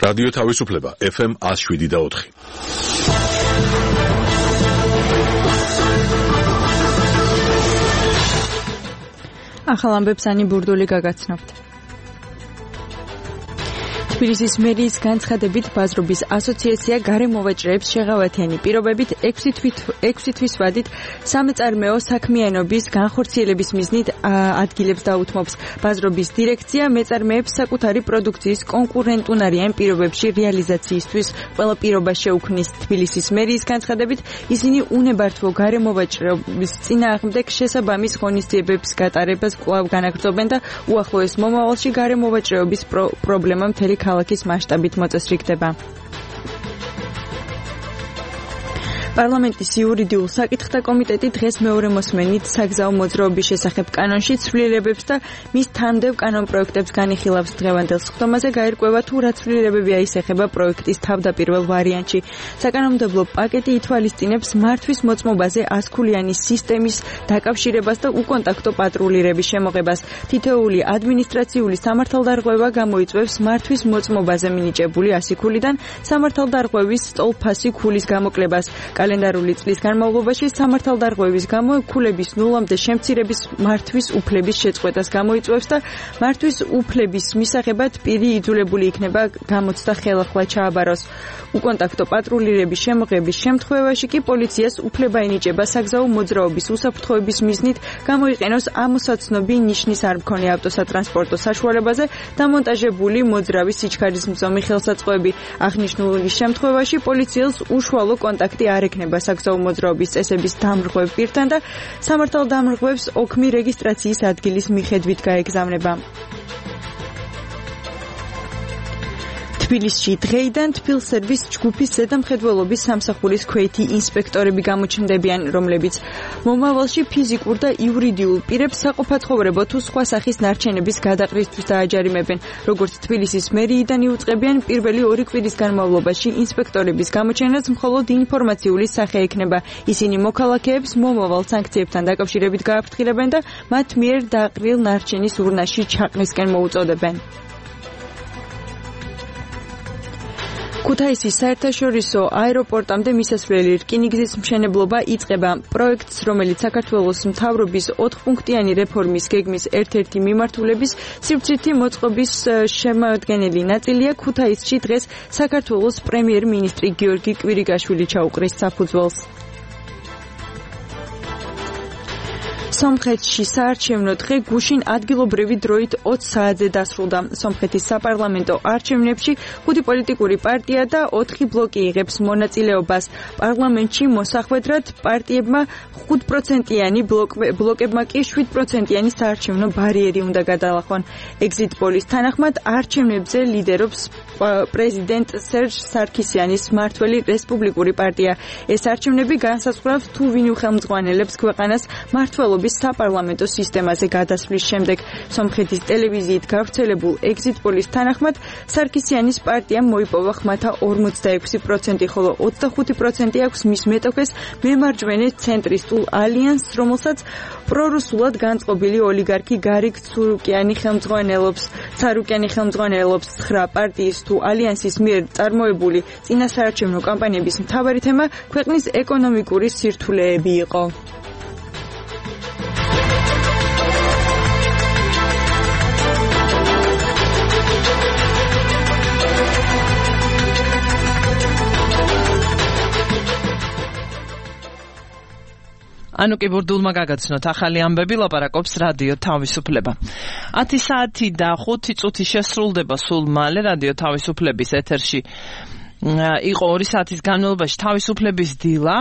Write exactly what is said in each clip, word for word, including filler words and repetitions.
რადიო თავისუფლება ეფ ემ one oh seven და four. ახალ ამბებს ანი ბურდული გაგაცნობთ. თბილისის მერიის განცხადებით ბაზრობის ასოციაცია გარემოვაჭრეებს შეღავათიანი პირობებით ექვსი თვის ვადით სამეწარმეო საქმიანობის განხორციელების მიზნით ადგილებს დაუთმობს. ბაზრობის დირექცია მეწარმეებს საკუთარი პროდუქციის კონკურენტუნარიან პირობებში რეალიზაციისთვის ყველა პირობა შეუქმნის. თბილისის მერიის განცხადებით ისინი უნებართვო გარემოვაჭრეობის წინააღმდეგ შესაბამის ღონისძიებების გატარებას კვლავ განაგრძობენ და უახლოეს მომავალში გარემოვაჭრეობის პრობლემა მთელი ქალაქის მასშტაბით მოწესრიგდება. პარლამენტის იურიდიულ საკითხთა კომიტეტი დღეს მეორე მოსმენით საგზაო მოძრაობის შესახებ კანონში ცვლილებებს და მის თანმდევ კანონპროექტებს განიხილავს. დღევანდელ სხდომაზე გაირკვევა თუ რა ცვლილებები აისახება პროექტის თავდაპირველ ვარიანტში. საკანონმდებლო პაკეტი ითვალისწინებს მართვის მოწმობაზე ასქულიანი სისტემის დაკავშირებას და უკონტაქტო პატრულირების შემოღებას. თითოეული ადმინისტრაციული სამართალდარღვევა გამოიწვევს მართვის მოწმობაზე მინიჭებული ასი ქულიდან სამართალდარღვევის სტოლფასი ქულის გამოკლებას. კალენდარული წლის განმავლობაში სამართალდარღვევის გამო ქულების ნულამდე შემცირების მართვის უფლების შეწყვეტას გამოიწვევს და მართვის უფლების მისაღებად პირი იძულებული იქნება გამოცდა ხელახლა ჩააბაროს. უკონტაქტო პატრულირების შემოღების შემთხვევაში კი პოლიციას უფლება ენიჭება საგზაო მოძრაობის უსაფრთხოების მიზნით გამოიყენოს ამოსაცნობი ნიშნის არ მქონე ავტოსატრანსპორტო საშუალებაზე დამონტაჟებული მოძრავი სიჩქარისმცომი ხელსაწყოები. აღნიშნული შემთხვევაში პოლიციელს უშუალო კონტაქტი არ ექნება საგზაო მოძრაობის წესების დამრღვევ პირთან და სამართალდამრღვევს ოქმი რეგისტრაციის ადგილის მიხედვით გაეგზავნება. თბილისში დღეიდან თბილსერვის ჯგუფის ზედამხედველობის სამსახურის ქვეითი ინსპექტორები გამოჩნდებიან, რომლებიც მომავალში ფიზიკურ და იურიდიულ პირებს საყოფაცხოვრებო თუ სხვა სახის ნარჩენების გადაყრისთვის დააჯარიმებენ. როგორც თბილისის მერიიდან იუწყებიან, პირველი ორი კვირის განმავლობაში ინსპექტორების გამოჩენაც მხოლოდ ინფორმაციული სახე ექნება. ისინი მოქალაქეებს მომავალ სანქციებთან დაკავშირებით გააფრთხილებენ და მათ მიერ დაყრილ ნარჩენის ურნაში ჩაყრისკენ მოუწოდებენ. ქუთაისის საერთაშორისო აეროპორტამდე მისასვლელი რკინიგზის მშენებლობა იწყება. პროექტს, რომელიც საქართველოს მთავრობის ოთხპუნქტიანი რეფორმის გეგმის ერთ-ერთი მიმართულების სივრცითი მოწყობის შემოადგენელი ნაწილია, ქუთაისში დღეს საქართველოს პრემიერ-მინისტრი გიორგი კვირიკაშვილი ჩაუყრის საფუძველს. სომხეთში საარჩევნო დღე გუშინ ადგილობრივი დროით ოცი საათზე დასრულდა. სომხეთის საპარლამენტო არჩევნებში ხუთი პოლიტიკური პარტია და ოთხი ბლოკი იღებს მონაწილეობას. პარლამენტში მოსახვედრად პარტიებმა ხუთ პროცენტიანი ბლოკებმა კი შვიდ პროცენტიანი საარჩევნო ბარიერი უნდა გადალახონ. ეგზიტ პოლის თანახმად არჩევნებზე ლიდერობს პრეზიდენტ სერჟ სარქისიანის მმართველი რესპუბლიკური პარტია. ეს არჩევნები განსაზღვრავს თუ ვინ უხელმძღვანელებს ქვეყანას მმართველობის საპარლამენტო სისტემაზე გადასვლის შემდეგ. სომხეთის ტელევიზიით გავრცელებულ ეგზიტ პოლის თანახმად სარქისიანის პარტიამ მოიპოვა ხმათა ორმოცდაექვსი პროცენტი, ხოლო ოცდახუთი პროცენტი აქვს მის მეტოქეს მემარჯვენე ცენტრისტულ ალიანსს, რომელსაც პრორუსულად განწყობილი ოლიგარქი გარიგ ცარუკიანი ხელმძღვანელობს. ცარუკიანი ხელმძღვანელობს. ცხრა პარტიის თუ ალიანსის მიერ წარმოებული წინასაარჩევნო კამპანიების მთავარი თემა ქვეყნის ეკონომიკური სირთულეები იყო. ანუ კი ბურდულმა გაგაცნოთ ახალი ამბები, ლაპარაკობს რადიო თავისუფლება. ათი საათი და ხუთი წუთი შესრულდება სულ მალე რადიო თავისუფლების ეთერში. იყო ორი საათის განმავლობაში თავისუფლების დილა,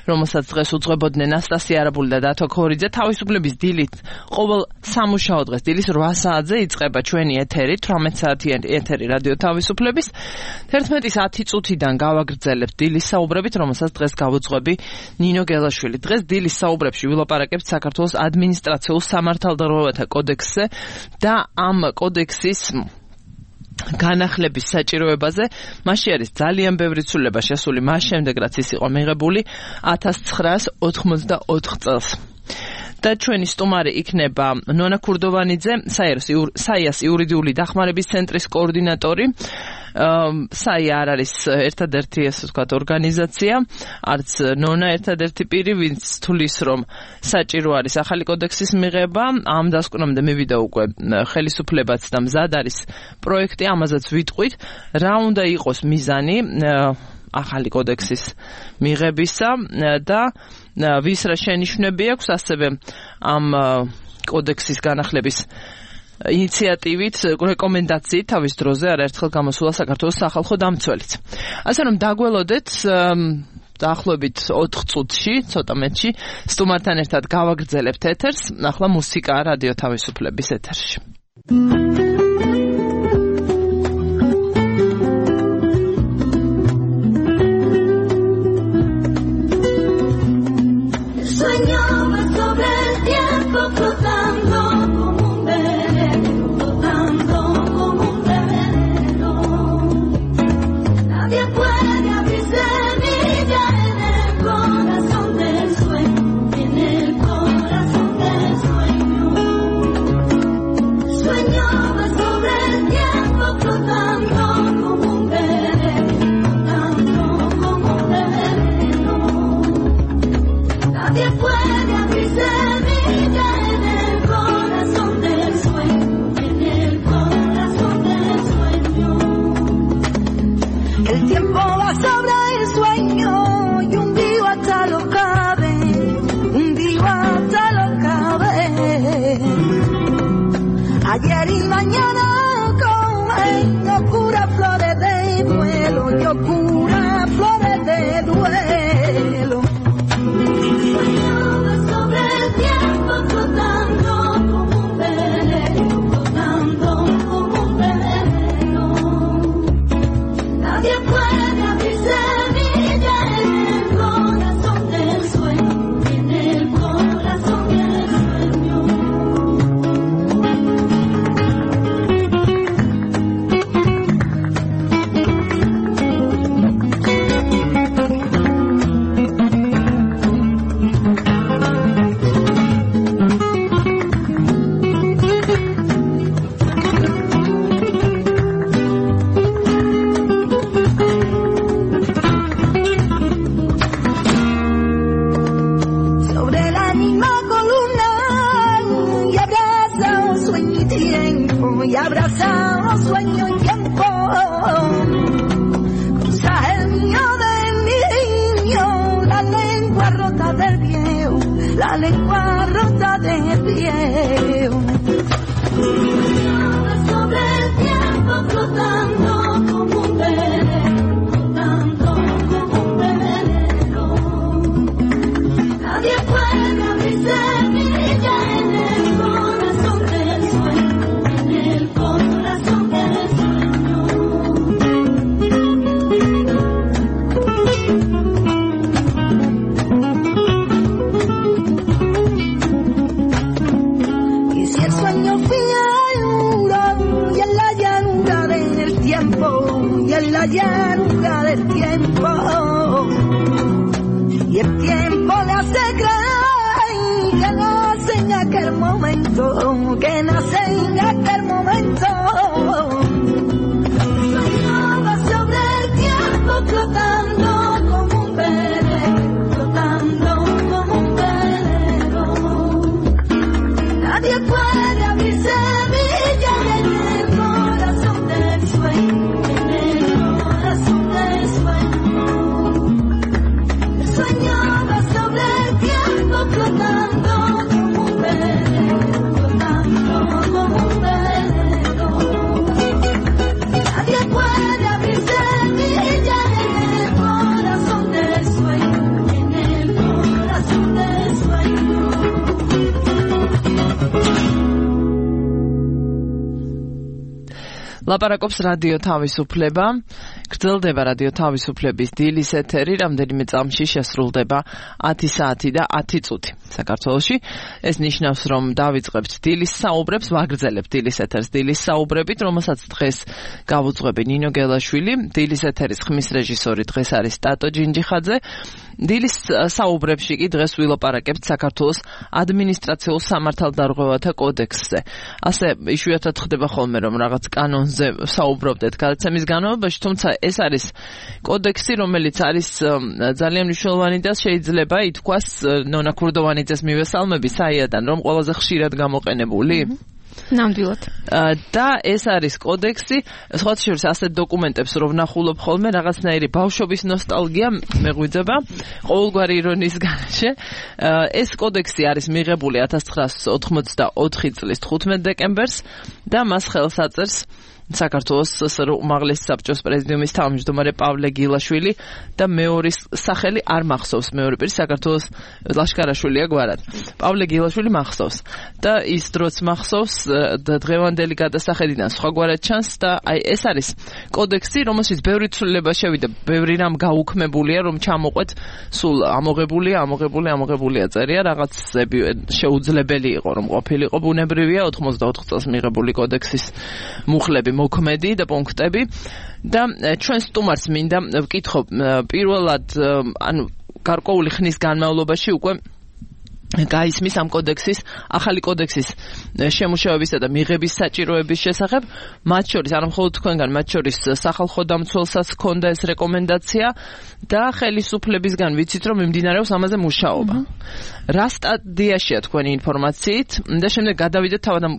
რომელსაც დღეს უძღვებოდნენ ნასტასია არაბული და დათო ქორიძე. თავისუფლების დილით ყოველ სამუშაო დღეს დილის რვა საათზე იწყება ჩვენი ეთერი, თვრამეტ საათიანი ეთერი რადიო თავისუფლების. თერთმეტის ათი წუთიდან გავაგრძელებთ დილის საუბრებით, რომელსაც დღეს გავუძღვები ნინო გელაშვილი. დღეს დილის საუბრებში ვილაპარაკებთ საქართველოს ადმინისტრაციულ სამართალდარღვევათა კოდექსზე და ამ კოდექსის განახლების საჭიროებაზე. მასში არის ძალიან ბევრი ცვლილება შესული მას შემდეგ, რაც ის იყო მიღებული ათას ცხრაას ოთხმოცდაოთხ წელს. და ჩვენი სტუმარი იქნება ნონა ქურდოვანიძე, საიას იურიდიული დახმარების ცენტრის კოორდინატორი. საი არ არის ერთადერთი ესე ვთქვათ ორგანიზაცია, არც ნონა ერთადერთი პირი, ვინც თulis რომ საჭირო არის ახალი კოდექსის მიღება. ამ დასკვნამდე მივიდა უკვე ხელისუფლებაც და მზად არის პროექტი, ამაზეც ვიტყვით, რა უნდა იყოს მიზანი ახალი კოდექსის მიღებისა და ვის რა შენიშვნები აქვს, ასევე ამ კოდექსის განახლების ინიციატივით, რეკომენდაციით თავის დროზე არაერთხელ გამოსულა საქართველოს სახალხო დამცველიც. ასე რომ დაგველოდეთ დაახლოებით ოთხ წუთში, ცოტა მეტში, სტუმართან ერთად გავაგრძელებთ ეთერს. ახლა მუსიკა რადიო თავისუფლების ეთერში. Ayer y mañana con locura flores de duelo, locura flores de duelo. Soñaba sobre el tiempo flotando como un velero, flotando como un velero. Nadie puede abrir semilla en el corazón del sueño, en el corazón del sueño. Y abrazado sueño y tiempo, cruza el mío del niño, la lengua rota del viejo, la lengua rota del viejo. Sobre el tiempo flotando como un velero, flotando como un velero. Nadie puede abrir semilla en el corazón del sueño. Corazón del sueño. Y si el sueño figura y en la llanura del tiempo, y en la llanura del tiempo, y el tiempo le hace creer que nace en aquel momento, que nace en aquel momento. Soñaba sobre el tiempo flotando como un velero, flotando como un velero. Nadie puede abrir semilla en el corazón del sueño, en el corazón del sueño. Soñaba sobre el tiempo flotando como un velero, flotando como un velero. Nadie puede abrir semilla en el corazón del sueño, en el corazón del sueño. ლაპარაკობს რადიო თავისუფლება. გრძელდება რადიო თავისუფლების დილის ეთერი, რამდენიმე წამში შესრულდება ათი საათი და ათი წუთი საქართველოში. ეს ნიშნავს, რომ დავიწყებთ დილის საუბრებს, ვაგრძელებთ დილის ეთერს დილის საუბრებით, რომელსაც დღეს გავუძღვები ნინო გელაშვილი, დილის ეთერის ხმის რეჟისორი დღეს არის ტატო ჯინჯიხაძე. დილის საუბრებში კი დღეს ვილაპარაკებთ საქართველოს ადმინისტრაციულ სამართალდარღვევათა კოდექსზე. ასე იშვიათად ხდება ხოლმე, რომ რაღაც კანონზე საუბრობდეთ გადაცემის განმავლობაში, თუმცა ეს არის კოდექსი, რომელიც არის ძალიან მნიშვნელოვანი და შეიძლება ითქვას ნონა ქურდოვანიძეს მივესალმები საიადან, რომ ყველაზე ხშირად გამოყენებული. ნამდვილად. და ეს არის კოდექსი, სხვათა შორის ასეთ დოკუმენტებს რო ვნახულობ ხოლმე, რაღაცნაირი ბავშვობის ნოსტალგია მეღვიძება, ყოველგვარი ირონიის გარეშე. ეს კოდექსი არის მიღებული ათას ცხრაასი ოცდაოთხი წლის თხუთმეტ დეკემბერს და მას ხელს აწერს საქართველოს სსრ უმაღლესი საბჭოს პრეზიდიუმის თავმჯდომარე პავლე გილაშვილი და მეორის სახელი არ მახსოვს, მეორე პირი საქართველოს ლაშქარაშვილია გვარად. პავლე გილაშვილი მახსოვს და ის დროც მახსოვს და დღევანდელი გადასახედიდან სხვაგვარად ჩანს და აი ეს არის კოდექსი, რომელშიც ბევრი ცვლილება შევიდა, ბევრი რამ გაუქმებულია, რომ ჩამოყვეთ სულ ამოღებულია, ამოღებული, ამოღებულია წერია, რაღაცები შეუძლებელი იყო, რომ ყოფილიყო ბუნებრივია ოთხმოცდაოთხ წელს მიღებული კოდექსის მუხლები მოქმედი და პუნქტები და ჩვენ სტუმარს მინდა ვკითხო პირველად ანუ გარკვეული ხნის განმავლობაში უკვე გაისმის ამ კოდექსის, ახალი კოდექსის შემუშავებისა და მიღების საჭიროების შესახებ, მათ შორის, არ მხოლოდ თქვენგან, მათ შორის სახალხო დამცველსაც ჰქონდა ეს რეკომენდაცია და ხელისუფლებისგან ვიცით, რომ მიმდინარეობს ამაზე მუშაობა. რა სტადიაშია თქვენი ინფორმაციით და შემდეგ გადავიდეთ თავად ამ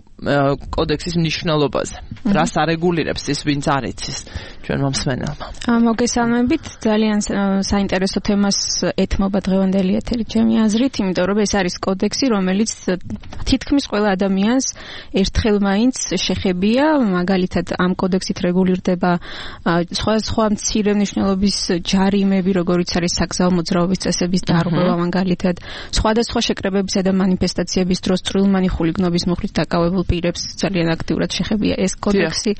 კოდექსის მნიშვნელობაზე. რას არეგულირებს ის, ვინც არ იცის ჩვენ მომსმენელმა. მოგესალმებით, ძალიან საინტერესო თემას ეთმობა დღევანდელი ეთერი ჩემი აზრით, იმიტომ რომ ეს არის კოდექსი, რომელიც თითქმის ყველა ადამიანს ერთხელ მაინც შეხებია, მაგალითად ამ კოდექსით რეგულირდება სხვა მცირე მნიშვნელობის ჯარიმები, როგორიც არის საგზაო მოძრაობის წესების დარღვევა, მაგალითად სხვადასხვა შეკრებებისა და манифестაციების დროს წვრილმანი ხულიგნობის მოხდით დაკავებულ პირებს ძალიან აქტიურად შეხებია ეს კოდექსი.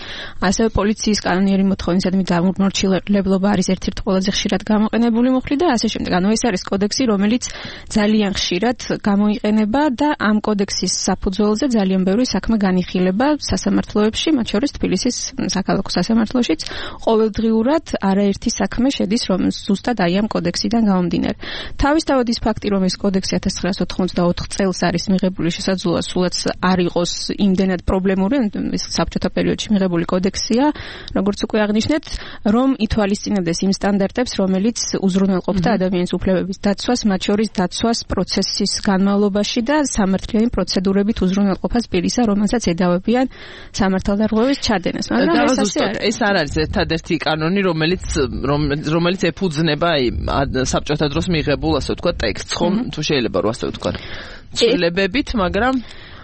ასევე პოლიციის კანონიერი მოთხოვნისადმი დამორჩილებლობა არის ერთ-ერთი ყველაზე ხშირად გამოყენებული მოხდი და ასე შემდეგ. ანუ ეს არის კოდექსი, რომელიც ძალიან ხშირად გამოიყენება და ამ კოდექსის საფუძველზე ძალიან ბევრი საქმე განიხილება სასამართლოებში, მათ შორის თბილისის საქალაქო სასამართლოშიც ყოველდღიურად არაერთი საქმე შედის, რომ ზუსტად აი ამ კოდექსიდან გამომდინარე. თავისთავად ის ფაქტი, რომ ეს კოდექსი ათას ცხრაასი ოცდაოთხ წელს არის მიღებული, შესაძლოა სულაც არ იყოს იმდენად პრობლემური, ეს საბჭოთა პერიოდში მიღებული კოდექსია, როგორც უკვე აღნიშნეთ, რომ ითვალისწინებდეს იმ სტანდარტებს, რომელიც უზრუნველყოფდა ადამიანის უფლებების დაცვას, მათ შორის დაცვას პროცესის განმავლობაში და სამართლიანი პროცედურებით უზრუნველყოფას პირისა, რომელსაც ედავებიან სამართალდარღვევის ჩადენას. მაგრამ ეს ასე არის. ეს არ არის ერთადერთი კანონი, რომელიც რომელიც ეფუძნება საბჭოთა დროს მიღებულ, ასე ვთქვათ, ტექსტს, ხომ? თუ შეიძლება რომ ასე ვთქვათ. ცვლილებებით, მაგრამ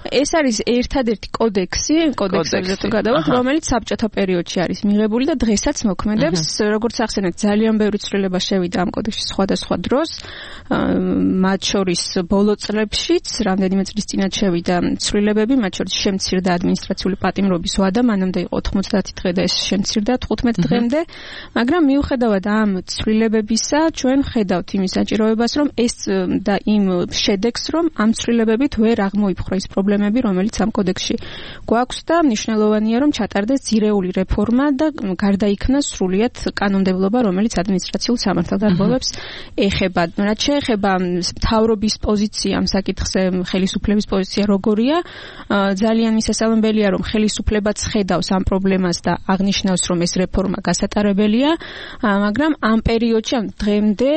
ეს არის ერთადერთი კოდექსი, კოდექსებზე თუ გადავართ, რომელიც საბჭოთა პერიოდში არის მიღებული და დღესაც მოქმედებს, როგორც ახსენეთ, ძალიან ბევრი ცვლილება შევიდა ამ კოდექსში სხვადასხვა დროს, მათ შორის ბოლო წლებშიც, რამდენიმე წლის წინათ შევიდა ცვლილებები, მათ შორის შემცირდა ადმინისტრაციული პატიმრობის ვადა, მანამდე იყო ოთხმოცდაათი დღე და ეს შემცირდა თხუთმეტ დღემდე, მაგრამ მიუხედავად ამ ცვლილებებისა, ჩვენ ვხედავთ იმის საჭიროებას, რომ ეს და იმ შედეგს, რომ ამ ცვლილებებით ვერ აღმოიფხვრა ის პრობლემა, რომელიც ამ კოდექსში გვაქვს და მნიშვნელოვანია, რომ ჩატარდეს ძირეული რეფორმა და გარდაიქმნა სრულიად კანონმდებლობა, რომელიც ადმინისტრაციულ სამართალდარღვევებს ეხება. რაც შეეხება მთავრობის პოზიცია ამ საკითხზე, ხელისუფლების პოზიცია როგორია, ძალიან მისასალმებელია, რომ ხელისუფლებაც ხედავს ამ პრობლემას და აღნიშნავს, რომ ეს რეფორმა გასატარებელია, მაგრამ ამ პერიოდში, ამ დღემდე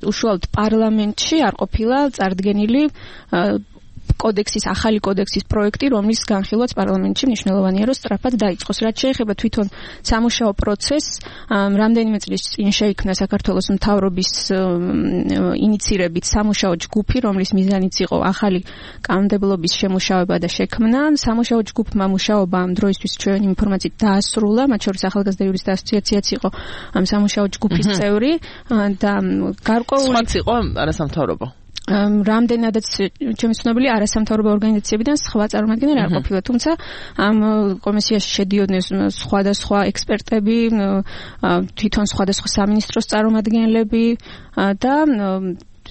უშუალოდ პარლამენტში არ ყოფილა წარდგენილი კოდექსის, ახალი კოდექსის პროექტი, რომლის განხილვაც პარლამენტში მნიშვნელოვანია, რომ სწრაფად დაიწყოს. რაც შეეხება თვითონ სამუშაო პროცესს, რამდენიმე წლის წინ შეიქმნა საქართველოს მთავრობის ინიცირებით სამუშაო ჯგუფი, რომლის მიზანიც იყო ახალი კანონმდებლობის შემუშავება და შექმნა. სამუშაო ჯგუფმა მუშაობა ამ დროისთვის ჩვენი ინფორმაციით დაასრულა, მათ შორის ახალგაზრდა იურისტთა ასოციაციაც იყო ამ სამუშაო ჯგუფის წევრი და გარკვეული სხვაც იყო არასამთავრობო. რამდენადაც ჩემი ცნობილი არასამთავრობო ორგანიზაციებიდან სხვა წარმომადგენლები არ ყოფილა, თუმცა ამ კომისიაში შედიოდნენ სხვადასხვა ექსპერტები, თვითონ სხვადასხვა სამინისტროს წარმომადგენლები და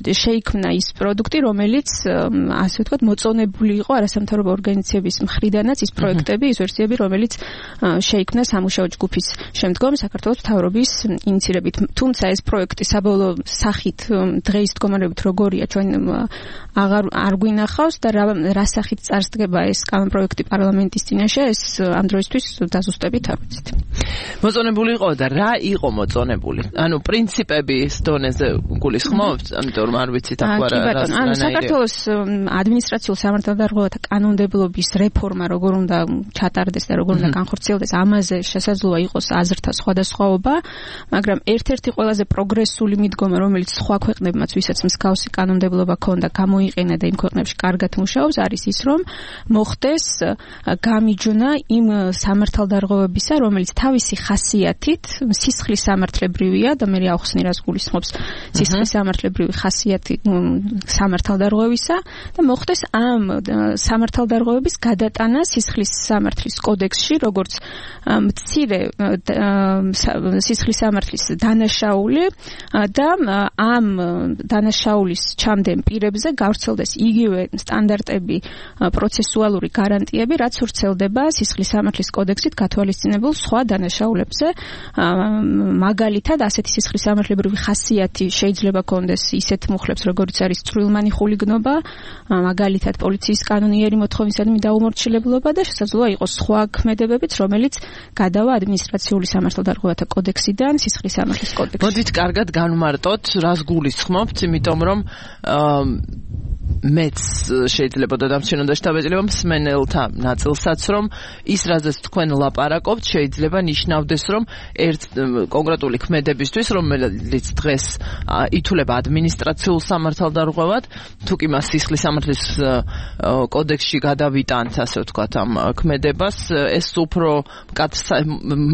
შეიქმნა ის პროდუქტი, რომელიც ასე ვთქვათ, მოწონებული იყო არასამთავრობო ორგანიზაციების მხრიდანაც ის პროექტები, ის ვერსიები, რომელიც შეიქმნა სამუშაო ჯგუფის შემდგომ საქართველოს მთავრობის ინიციირებით. თუმცა ეს პროექტი საბოლოო სახით დღეის მდგომარეობით როგორია, ჩვენ აღარ არ გვინახავს და რა, რა სახით წარსდგება ეს კანონპროექტი პარლამენტის წინაშე, ეს ამ დროისთვის დაზუსტებით არ ვიცით. მოწონებული იყო და რა იყო მოწონებული? ანუ პრინციპების დონეზე გულისხმობთ, ამიტომ არ ვიცით ახლა რა რა. ანუ საქართველოს ადმინისტრაციულ სამართალდარღვევათა კანონმდებლობის რეფორმა როგორ უნდა ჩატარდეს და როგორ უნდა განხორციელდეს, ამაზე შესაძლოა იყოს აზრთა სხვადასხვაობა, მაგრამ ერთ-ერთი ყველაზე პროგრესული მიდგომა, რომელიც სხვა ქვეყნებმაც, ვისაც მსგავსი კანონმდებლობა ჰქონდა, გამოიყენა და იმ ქვეყნებში კარგად მუშაობს, არის ის, რომ მოხდეს გამიჯვნა იმ სამართალდარღვევებისა, რომელიც თავისი ხასიათით სისხლის სამართლებრივია და მე ახსნი რას გულისხმობს სისხლის სამართლებრივი ხასიათი სამართალდარღვევისა და მოხდეს ამ სამართალდარღვევების გადატანა სისხლის სამართლის კოდექსში, როგორც მცირე სისხლის სამართლის დანაშაული და ამ დანაშაულის ჩამდენ პირებზე გავრცელდეს იგივე სტანდარტები, პროცესუალური გარანტიები, რაც ვრცელდება სისხლის სამართლის კოდექსით გათვალისწინებულ სხვა დანაშაულებზე. მაგალითად, ასეთი სისხლის სამართლებრივი ხასიათი შეიძლება კონდეს ისეთ მუხლებს, როგორც არის წვრილმანი ხულიგნობა, მაგალითად პოლიციის კანონიერი მოთხოვნისადმი დაუმორჩილებლობა და შესაძლოა იყოს სხვა ქმედებებიც, რომელიც გადავა ადმინისტრაციული სამართალდარღვევათა კოდექსიდან სისხლის სამართლის კოდექსში. მოდით კარგად განვმარტოთ, რას გულისხმობთ, იმიტომ რომ მეც შეიძლება დადამჩნევ და შეტაბეჭდილება მსმენელთა ნაწილსაც, რომ ის რაზეც თქვენ ლაპარაკობთ, შეიძლება ნიშნავდეს, რომ ერთ კონკრეტული ქმედებისთვის, რომელიც დღეს ითვლება ადმინისტრაციულ სამართალდარღვევად, თუკი მას სისხლის სამართლის კოდექსში გადავიტანთ, ასე ვთქვათ, ამ ქმედებას, ეს უფრო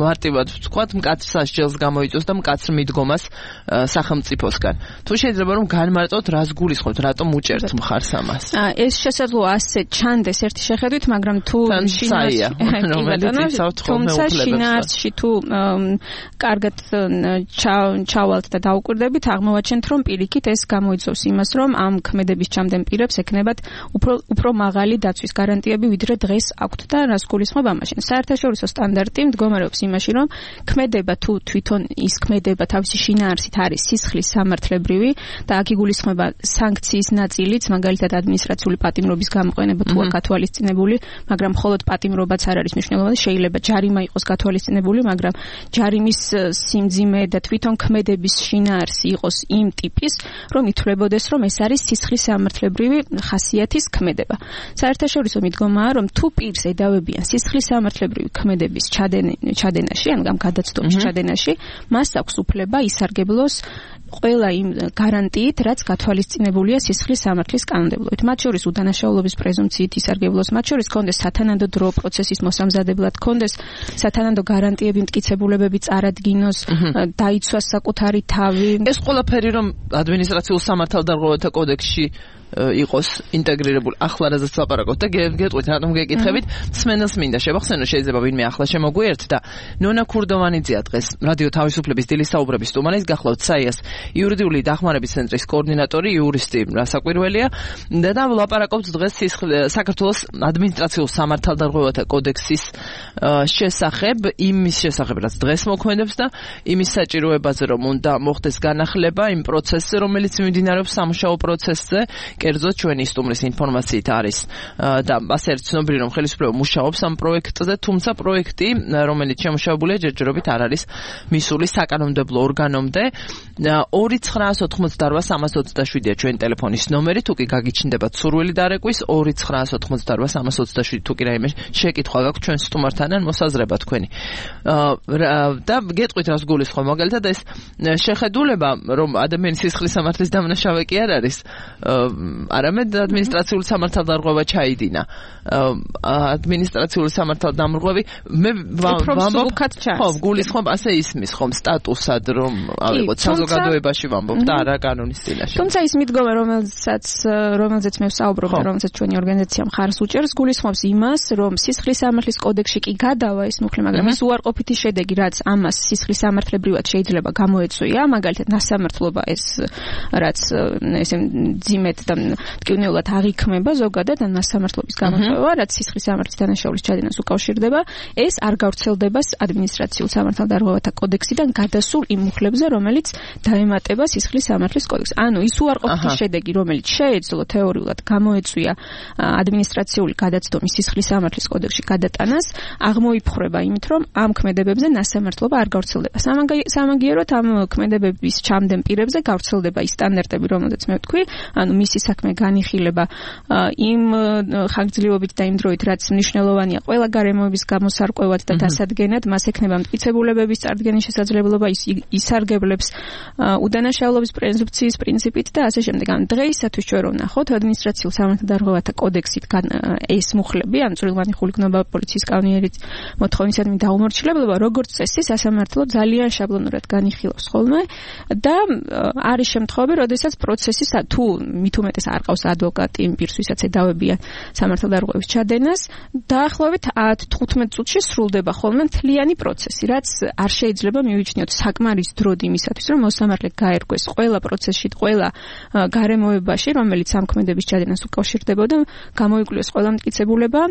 მარტივად ვთქვათ, მკაცრ სასჯელს გამოიწვევს და მკაცრ მიდგომას სახელმწიფოსგან. თუ შეიძლება რომ განმარტოთ, რას გულისხმობთ, რატომ უჭერთ მხარს ამას? ეს შესაძლოა ასე ჩანდეს ერთი შეხედვით, მაგრამ თუ შინაარსში თუ კარგად ჩავალთ და დაუკვირდებით, აღმოვაჩენთ, რომ პირიქით ეს გამოიწვევს იმას, რომ ამ ქმედების ჩამდენ პირებს ექნებათ უფრო უფრო მაღალი დაცვის გარანტიები, ვიდრე დღეს აქვთ და რას გულისხმობ ამაში. საერთაშორისო სტანდარტი მდგომარეობს იმაში, რომ ქმედება თუ თვითონ ის ქმედება თავისი შინაარსით არის სისხლის სამართლებრივი და აქ იგულისხმება სანქციის ნაწილიც, მაგალითად ადმინისტრაციული პატიმრობის გამოყენება თუ არ გათვალისწინებული, მაგრამ მხოლოდ პატიმრობაც არ არის მნიშვნელოვანი, შეიძლება ჯარიმა იყოს გათვალისწინებული, მაგრამ ჯარიმის სიმძიმე და თვითონ ქმედების შინაარსი იყოს იმ ტიპის, რომ ითვლებოდეს, რომ ეს არის სისხლის სამართლებრივი ხასიათის ქმედება. საერთაშორისო მიდგომაა, რომ თუ პირს ედავებიან სისხლის სამართლებრივი ქმედების ჩადენაში, ან ამ გადაცდომის ჩადენაში, მას აქვს უფლება ისარგებლოს ყველა იმ გარანტიით, რაც გათვალისწინებულია სისხლის სამართლის კანონმდებლობით. მათ შორის უდანაშაულობის პრეზუმპციით ისარგებლოს, მათ შორის კონდეს სათანადო დრო პროცესის მოსამზადებლად, კონდეს სათანადო გარანტიები, მტკიცებულებები წარადგინოს, დაიცვას საკუთარი თავი. ეს ყველაფერი რომ ადმინისტრაციულ სამართალდარღვევათა კოდექსში იყოს ინტეგრირებული. ახლა რაზეც ლაპარაკობთ და გეტყვით, რატომ გეკითხებით? მსმენელს მინდა შევახსენო, შეიძლება ვინმე ახლა შემოგვიერთ და ნონა ქურდოვანიძეა დღეს რადიო თავისუფლების დილის საუბრების სტუმარი, გახლავთ საიას იურიდიული დახმარების ცენტრის კოორდინატორი, იურისტი რასაკვირველია და ლაპარაკობთ დღეს საქართველოს ადმინისტრაციულ სამართალდარღვევათა კოდექსის შესახებ, იმის შესახებ, რაც დღეს მოქმედებს და იმის საჭიროებაზე, რომ უნდა მოხდეს განახლება იმ პროცესზე, რომელიც მიმდინარეობს სამუშაო პროცესზე. კერძოდ ჩვენი სტუმრის ინფორმაციით არის და ასე არის ცნობილი, რომ ხელისუფლება მუშაობს ამ პროექტზე, თუმცა პროექტი, რომელიც შემუშავებულია, ჯერჯერობით არ არის მისული საკანონმდებლო ორგანომდე. ორი ცხრაას ოთხმოცდაოთხ სამას ოცდაშვიდია ჩვენი ტელეფონის ნომერი, თუ კი გაგიჩნდებათ სურვილი დარეკვის, ორი ცხრაას ოთხმოცდაოთხ სამას ოცდაშვიდი, თუ კი რაიმე შეკითხვა გაქვთ ჩვენ სტუმართან ან მოსაზრება თქვენი. და გეტყვით, რას გულისხმობ, მაგალითად ეს შეხედულება, რომ ადამიანის სისხლის სამართლის დამნაშავე კი არ არის არამედ ადმინისტრაციული სამართალდარღვევა ჩაიდინა. ადმინისტრაციული სამართალდამრღვევი მე ვამბობ, ხო, გულისხმობ ასე ისმის ხომ სტატუსად რომ ავიღოთ საზოგადოებაში ვამბობ და არა კანონის წინაშე. თუმცა ის მიდგომა რომელსაც რომელზეც მე ვსაუბრობ და რომელსაც ჩვენი ორგანიზაცია მხარს უჭერს გულისხმობს იმას რომ სისხლის სამართლის კოდექსში კი გადავა ეს მუხლი, მაგრამ ის უარყოფითი შედეგი რაც ამას სისხლის სამართლებრივად შეიძლება გამოეწვია, მაგალითად ნასამართლობა ეს რაც ესე ძიმეთ და მტკივნეულად აღიქმება ზოგადად ან ნასამართლობის გამოწვევა, რაც სისხლის სამართლის დანაშაულის ჩადენას უკავშირდება, ეს არ გავრცელდება ადმინისტრაციულ სამართალდარღვევათა კოდექსიდან გადასულ იმ მუხლებზე, რომელიც დაემატება სისხლის სამართლის კოდექსს. ანუ ის უარყოფითი შედეგი, რომელიც შეეძლო თეორიულად გამოეწვია ადმინისტრაციული გადაცდომის სისხლის სამართლის კოდექსში გადატანას, აღმოიფხრება იმით, რომ ამ ქმედებებზე ნასამართლობა არ გავრცელდება. სამაგიეროდ ამ ქმედებების ჩამდენ პირებზე გავრცელდება ის სტანდარტები, რომელზეც მე ვთქვი, ანუ მისი საქმე განიხილება იმ ხანგრძლივობით და იმ დროით, რაც მნიშვნელოვანია ყველა გარემოების გამოსარკვევად და დასადგენად, მას ექნება მტკიცებულებების წარდგენის შესაძლებლობა, ის ისარგებლებს უდანაშაულობის პრეზუმფციის პრინციპით და ასე შემდეგ. ან დღეისათვის ჩვენ რომ ვნახოთ ადმინისტრაციულ სამართალდარღვევათა კოდექსით ეს მუხლები, ან წვრილმანი ხულიგნობა პოლიციის კანონიერით მოთხოვნისადმი დაუმორჩილებლობა, როგორც წესი სასამართლო ძალიან შაბლონურად განიხილავს ხოლმე და არის შემთხვევები, როდესაც პროცესი თუ მით უმეტეს არ ყავს ადვოკატი იმ პირს, ვისაც ედავებია სამართალდარღვევის ჩადენას, დაახლოებით ათ თხუთმეტ წუთში სრულდება ხოლმე მთლიანი პროცესი, რაც არ შეიძლება მივიჩნიოთ საკმარის დროდ იმისათვის, რომ მოსამართლე გაერკვეს ყველა პროცესში, ყველა გარემოებაში, რომელიც ამ ქმედების ჩადენას უკავშირდებოდა, გამოიკვლიოს ყველა მტკიცებულება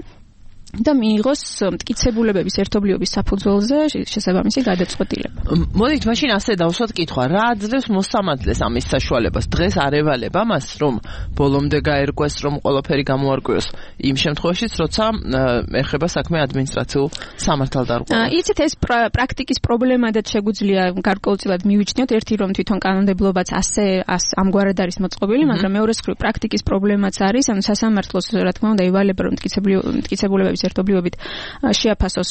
და მიიღოს მტკიცებულებების ერთობლიობის საფუძველზე შესაბამისი გადაწყვეტილება. მოდით მაშინ ასე დავსვათ კითხვა, რა აძლევს მოსამართლეს ამის საშუალებას? დღეს არ ევალება მას, რომ ბოლომდე გაერკვეს, რომ ყველაფერი გამოარკვიოს იმ შემთხვევაშიც, როცა ეხება საქმე ადმინისტრაციულ სამართალდარღვევას. იცით, ეს პრაქტიკის პრობლემადაც შეგვიძლია გარკვეულწილად მივიჩნიოთ, ერთი რომ თვითონ კანონმდებლობაც ასე ამგვარად არის მოწყობილი, მაგრამ მეორე მხრივ პრაქტიკის პრობლემაც არის, ანუ სასამართლოს რა თქმა უნდა ევალება რომ მტკიცებულებების ერთობლიობით შეაფასოს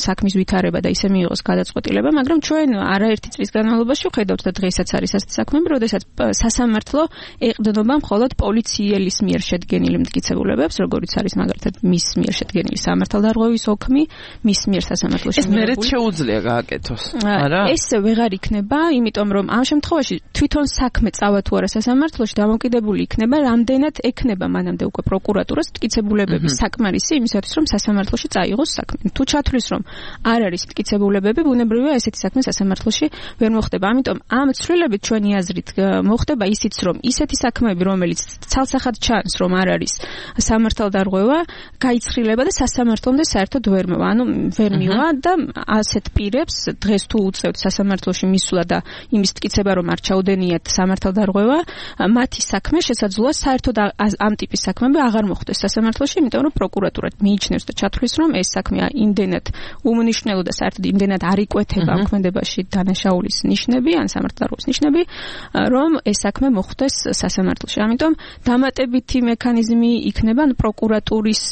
საქმის ვითარება და ისე მიიღოს გადაწყვეტილება, მაგრამ ჩვენ არაერთი წლის განმავლობაში ვხედავთ და დღესაც არის ასეთი საქმეები, როდესაც სასამართლო ეყრდნობა მხოლოდ პოლიციელის მიერ შედგენილი მტკიცებულებებს, როგორიც არის მაგალითად მის მიერ შედგენილი სამართალდარღვევის ოქმი, მის მიერ სასამართლოში ეს მერეც შეუძლია გააკეთოს, არა? ეს ვეღარ იქნება, იმიტომ რომ ამ შემთხვევაში თვითონ საქმე წავა თუ არა სასამართლოში, დამოკიდებული იქნება, რამდენად ექნება მანამდე უკვე პროკურატურას მტკიცებულებების საკმარისი იმისათვის, რომ სასამართლოში წაიღოს საქმე. თუ ჩათვლის, რომ არ არის მტკიცებულებები, ბუნებრივია ესეთი საქმე სასამართლოში ვერ მოხდება. ამიტომ ამ ცვლილებით ჩვენი აზრით მოხდება ისიც, რომ ისეთი საქმეები, რომელიც ცალსახად ჩანს, რომ არ არის სამართალდარღვევა, გაიცხრილება და სასამართლომდე საერთოდ ვერ მოვა. ანუ ვერ მივა და ასეთ პირებს დღეს თუ უწევთ სასამართლოში მისვლა და იმის მტკიცება, რომ არ ჩაუდენიათ სამართალდარღვევა, მათი საქმე შესაძლოა საერთოდ ამ ტიპის საქმეები აღარ მოხდეს სასამართლოში, იმიტომ რომ პროკურატურა მიიჩნევს და ჩათვლის, რომ ეს საქმე იმდენად უმნიშვნელო და საერთოდ იმდენად არ იკვეთება ამ ქმედებაში დანაშაულის ნიშნები, ან სამართალდარღვევის ნიშნები, რომ ეს საქმე მოხდეს სასამართლოში. ამიტომ დამატებითი მექანიზმი იქნება პროკურატურის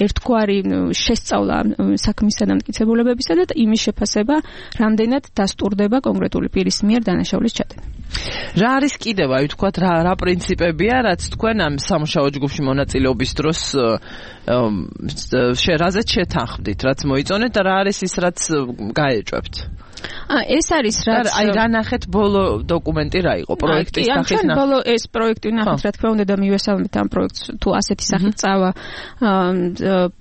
ერთგვარი შესწავლა საქმისა და მტკიცებულებებისა და იმის შეფასება, რამდენად დასტურდება კონკრეტული პირის მიერ დანაშაულის ჩადენა. რა არის კიდევ, აი ვთქვათ, რა რა პრინციპებია, რაც თქვენ ამ სამუშაო ჯგუფში მონაწილეობის დროს რაზეც შეთანხმდით, რაც მოიწონეთ და რა არის ის, რაც გაეჭვებთ? ეს არის რაც აი რა ნახეთ ბოლო დოკუმენტი რა იყო პროექტის სახით ნახეთ ბოლო ეს პროექტი ნახეთ რა თქმა უნდა და მივესალმეთ ამ პროექტს თუ ასეთი სახით წავა